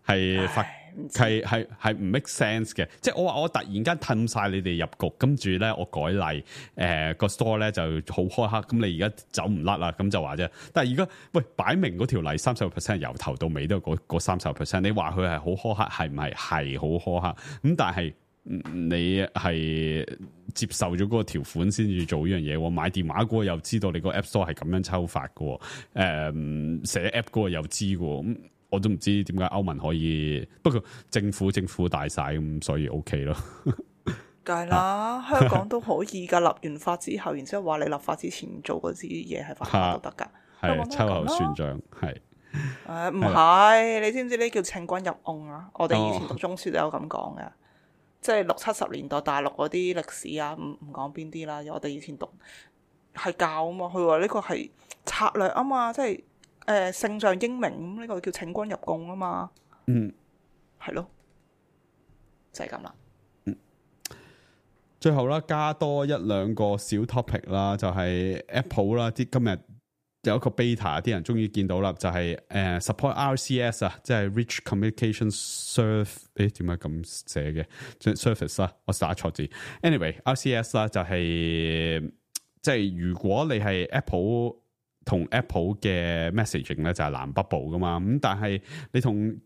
係發。係係係唔 make sense 嘅，即係我話我突然間褪晒你哋入局，跟住咧我改例，誒、呃、個 store 咧就好苛刻，咁你而家走唔甩啦，咁就話啫。但係而家喂擺明嗰條例三十個 percent 由頭到尾都係嗰三十個 percent，你話佢係好苛刻，係唔係係好苛刻？咁但係你係接受咗嗰個條款先至做呢樣嘢，我買電話嗰個又知道你個 app store 係咁樣抽法嘅，誒、呃、寫 app 嗰個又知嘅，咁。我都唔知點解歐盟可以，不過政府政府大晒咁，所以 OK 咯。梗係啦，香港都可以噶，立完法之後，然之後話你立法之前做嗰啲嘢係犯法都得噶，係秋後算賬，係誒唔係，你知唔知呢叫請君入甕啊？我哋以前讀中書都有咁講嘅，哦、即係六七十年代大陸嗰啲歷史啊，唔唔講邊啲啦，我哋以前讀係教啊嘛，佢話呢個係策略啊嘛，即係。誒聖上英明咁，呢個叫請君入甕啊嘛，嗯，係咯，就係咁啦。嗯，最後啦，加多一兩個小 topic 啦，就係、是、Apple 啦，啲今日有一個 beta，啲人終於見到啦，就係、是、誒、uh, support R C S 啊，即係 Rich Communication Surface，誒點解咁寫嘅？即係 Surface 啦，我打錯字。Anyway，R C S 啦就係、是、即係如果你係 Apple。同 Apple 嘅 messaging 咧就係藍 bubble 噶嘛，咁但係你同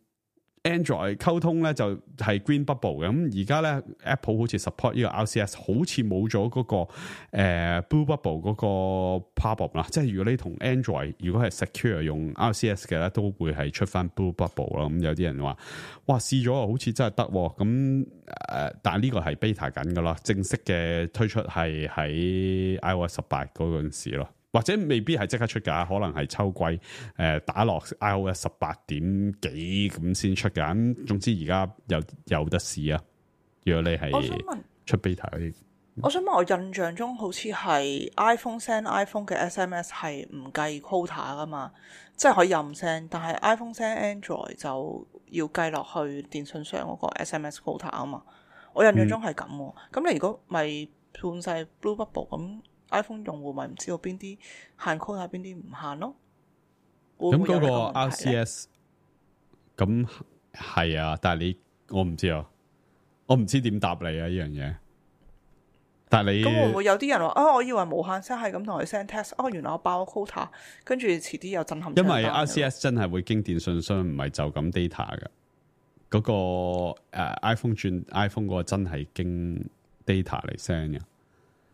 Android 溝通咧就係 green bubble 嘅，咁而家咧 Apple 好似 support 呢個 R C S， 好似冇咗嗰個、呃、blue bubble 嗰個 problem 啦，即係如果你同 Android 如果係 secure 用 R C S 嘅咧，都會係出翻 blue bubble 啦。咁有啲人話，哇試咗好似真係得，咁誒、呃，但係呢個係 beta 緊噶啦，正式嘅推出係喺 iOS 十八嗰陣時咯。或者未必係即刻出㗎，可能係秋季誒、呃、打落 iOS 十八點幾咁先出㗎。咁總之而家有有得試啊！如果你係出 beta 嗰啲，我想問，我印象中好似係 iPhone send iPhone 嘅 S M S 係唔計 quota 噶嘛，即係可以任 send，但係 iPhone send Android 就要計落去電信商嗰個 S M S quota 啊嘛。我印象中係咁喎。咁、嗯、你如果咪判晒 Blue Bubble 咁？iPhone 用戶咪唔知道邊啲限 quota 邊啲唔限咯？咁嗰個 R C S 咁係啊，但係你我唔知啊，我唔知點答你啊呢樣嘢。但係你咁會唔會有啲人話啊？我以為無限 send 係咁同佢 send text，哦，原來我爆咗 quota，跟住遲啲又震撼。因為 R C S 真係會經電信商，唔係就咁 data 嘅。嗰、那個誒、uh, iPhone 轉 iPhone 嗰個真係經 data 嚟 send 嘅。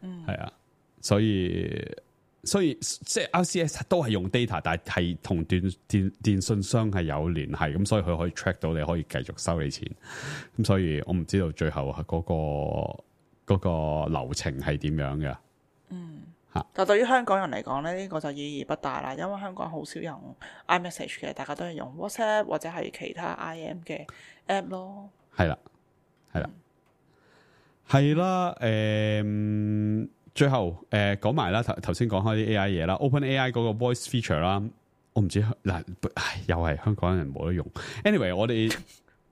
嗯，係啊。所以所以即係 R C S 都係用 data， 但係同電電電信商係有聯繫，咁所以佢可以 track 到你，可以繼續收你錢。咁所以我唔知道最後嗰個嗰個流程係點樣嘅。嗯，吓，但係對於香港人嚟講咧，呢個就意義不大啦，因為香港好少用 iMessage 嘅，大家都係用 WhatsApp 或者係其他 I M 嘅 app 咯。係啦，係啦，係啦，誒、嗯。最後誒講埋啦，頭頭先講開啲 A I 嘢啦 ，OpenAI 嗰個 voice feature 啦，我唔知嗱，又係香港人冇得用。Anyway， 我哋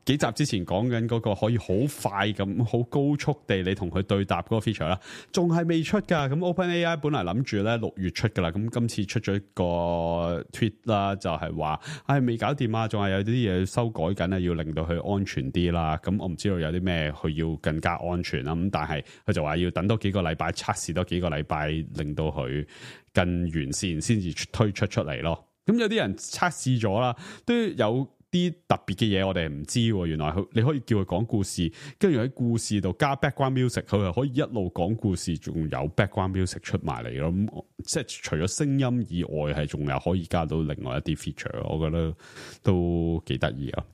幾集之前講緊嗰個可以好快咁好高速地你同佢對答嗰個 feature 啦，仲係未出噶。咁 OpenAI 本來諗住咧六月出噶啦，咁今次出咗一個 tweet 啦，就係話唉未搞掂啊，仲係有啲嘢修改緊啊，要令到佢安全啲啦。咁我唔知道有啲咩佢要更加安全啦。咁但係佢就話要等多幾個禮拜測試多幾個禮拜，令到佢更完善先至推出出嚟咯。咁有啲人測試咗啦，都有啲特別嘅嘢我哋唔知，原來佢你可以叫佢講故事，跟住喺故事度加 background music，佢係可以一路講故事，仲有 background music 出埋嚟咯。咁即係除咗聲音以外，係仲有可以加到另外一啲 feature，我覺得都幾得意啊。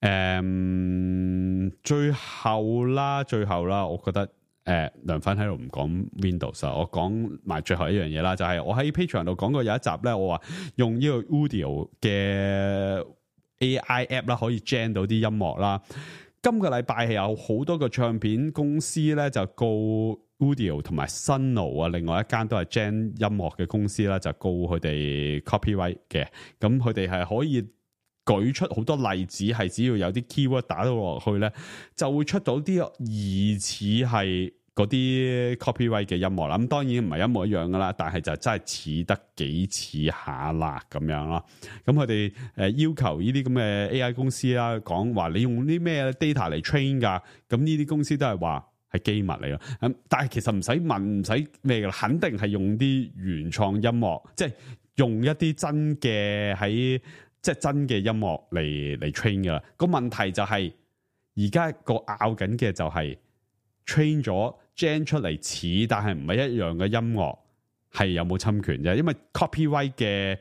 嗯，最後啦，最後啦，我覺得。誒、呃，梁粉喺度唔講 Windows 啊，我講埋最後一樣嘢啦，就係、是、我喺 Patreon 度講過有一集咧，我話用呢個 Udio 嘅 A I app 啦，可以 gen 到啲音樂啦。今個禮拜係有好多個唱片公司咧，就告 Udio 同埋 Suno 啊，另外一間都係 gen 音樂嘅公司啦，就告佢哋 copyright 嘅。咁佢哋係可以舉出好多例子，係只要有啲 keyword 打到落去咧，就會出到啲疑似係嗰啲 copyright 嘅音樂啦。咁當然唔係一模一樣噶啦，但係就真係似得幾似下啦咁樣咯。咁佢哋誒要求呢啲咁嘅 A I 公司啦，講話你用啲咩 data 嚟 train 噶？咁呢啲公司都係話係機密嚟咯。咁但係其實唔使問，唔使咩噶啦，肯定係用啲原創音樂，即係用一啲真嘅喺。即係真嘅音樂嚟嚟 train 噶啦，個問題就係而家個拗緊嘅就係 train 咗 gen 出嚟似，但係唔係一樣嘅音樂係有冇侵權啫？因為 copyright 嘅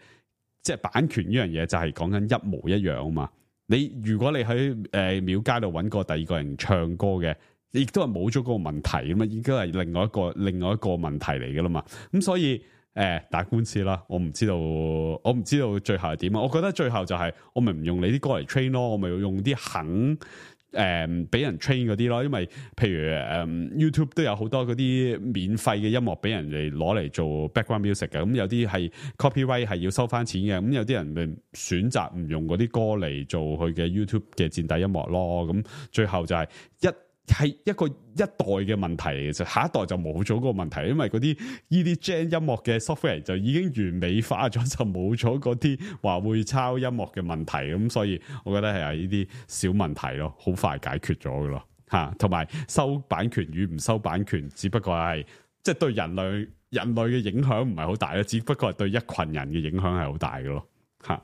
即係版權呢樣嘢就係講緊一模一樣啊嘛。你如果你喺誒廟街度揾過第二個人唱歌嘅，亦都係冇咗嗰個問題咁啊，已經係另外一個另外一個問題嚟噶啦嘛。咁所以。誒、呃，打官司啦，我唔知道，我唔知道最後係點啊！我覺得最後就係、是、我咪唔用你啲歌嚟 train 咯，我咪用啲肯誒俾、呃、人 train 嗰啲咯。因為譬如誒、呃、YouTube 都有好多嗰啲免費嘅音樂俾人哋攞嚟做 background music 嘅，咁、嗯、有啲係 copyright 係要收翻錢嘅，咁、嗯、有啲人咪選擇唔用嗰啲歌嚟做佢嘅 YouTube 嘅墊底音樂咯。咁、嗯、最後就係一。係一個一代嘅問題嚟嘅，就下一代就冇咗個問題，因為嗰啲呢啲 gen 音樂嘅 software 就已經完美化咗，就冇咗嗰啲話會抄音樂嘅問題，咁所以我覺得係呢啲小問題咯，好快解決咗㗎咯吓，同埋收版權與唔收版權，只不過係即係對人類人類嘅影響唔係好大咯，只不過係對一群人嘅影響係好大嘅咯吓。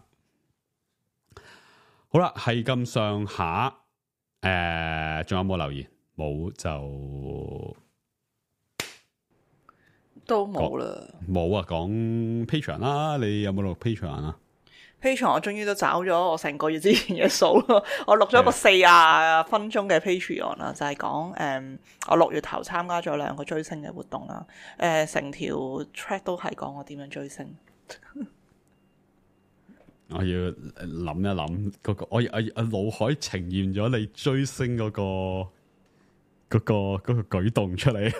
好啦，係咁上下。誒，仲、呃、有冇留言？冇就都冇啦。冇啊，講 Patreon 啦，你有冇錄 Patreon 啊 ？Patreon 我終於都找咗我成個月之前嘅數咯，我錄咗個四十分鐘嘅 Patreon 啦，就係講誒，我六月頭參加咗兩個追星嘅活動啦，誒、呃，成條 track 都係講我點樣追星。我要諗一諗嗰個，我我我腦海呈現咗你追星嗰個嗰個嗰個舉動出嚟。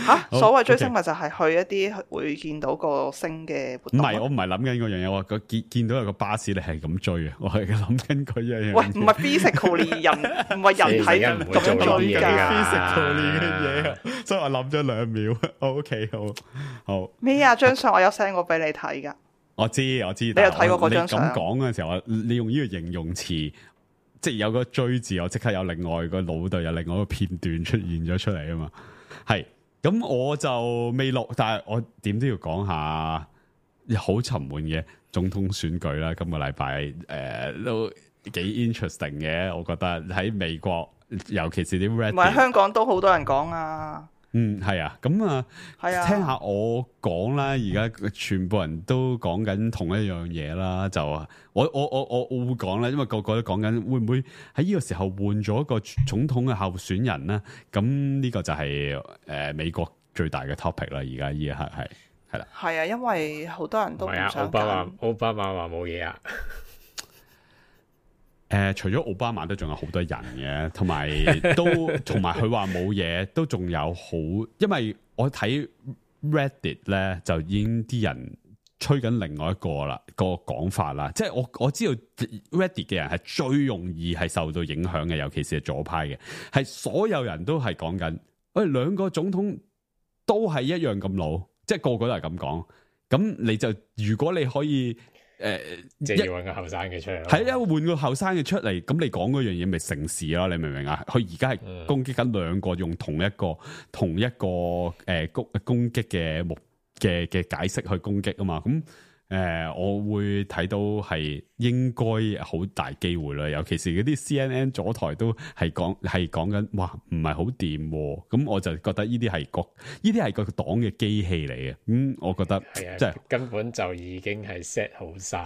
吓，所謂追星咪就係去一啲會見到個星嘅活動。唔係，我唔係諗緊嗰樣嘢，我個見見到有個巴士你係咁追啊，我係諗緊嗰樣嘢。喂，唔係 physically 人，唔係人體咁樣追噶 physically 嘅嘢啊，所以我諗咗兩秒。OK， 好好咩啊？張相我有 send 過俾你睇噶。我知我知，你有睇過嗰張相？你咁講嘅時候，你用呢個形容詞，即係有個追字，我即刻有另外個腦度有另外一個片段出現咗出嚟啊嘛。係咁，我就未錄，但係我點都要講下好沉悶嘅總統選舉啦。今個禮拜誒都幾 interesting 嘅，我覺得喺美國，尤其是啲 Reddit，唔係香港都好多人講啊。嗯，係啊，咁啊，係啊，聽下我講啦。而家全部人都講緊同一樣嘢啦，就我我我我我會講啦，因為個個都講緊會唔會喺呢個時候換咗一個總統嘅候選人咧？咁呢個就係、是、誒、呃、美國最大嘅 topic 啦。而家呢一刻係係啦，係啊，因為好多人都唔想奧巴馬，奧巴馬話冇嘢啊。誒、呃，除咗奧巴馬都仲有好多人嘅，同埋都同埋佢話冇嘢，都仲有好，因為我睇 Reddit 咧就已經啲人吹緊另外一個啦、個講法啦，即係我我知道 Reddit 嘅人係最容易係受到影響嘅，尤其是係左派嘅，係所有人都係講緊，喂、哎、兩個總統都係一樣咁老，即係個個都係咁講，咁你就如果你可以。誒、呃，即係要換個後生嘅出嚟，係啊，換個後生嘅出嚟，咁你講嗰樣嘢咪成事咯？你明唔明啊？佢而家係攻擊緊兩個用同一個、嗯、同一個誒攻、呃、攻擊嘅目嘅嘅解釋去攻擊啊嘛，咁。誒、呃，我會睇到係應該好大機會啦，尤其是嗰啲 C N N 左台都係講係講緊，哇，唔係好掂，咁我就覺得呢啲係個呢啲係個黨嘅機器嚟嘅，咁、嗯、我覺得係啊，即係根本就已經係 set 好晒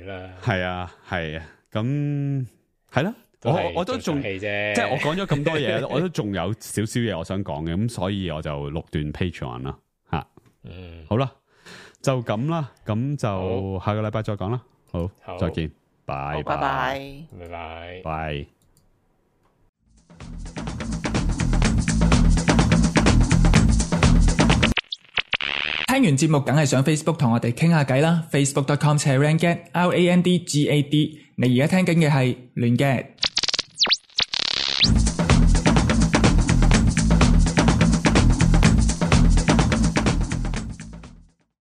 啦。係啊，係啊，咁係啦，都我我都仲即即係我講咗咁多嘢，我都仲有少少嘢我想講嘅，咁所以我就錄段 Patreon 啦吓。嗯，好啦，就咁啦，咁就好下個禮拜再講啦。好，好再見，拜拜拜。拜拜。拜。聽完節目梗係上 Facebook 同我哋傾下偈啦 ，facebook dot com slash randgad R A N D G A D。你而家聽緊嘅係亂 gad。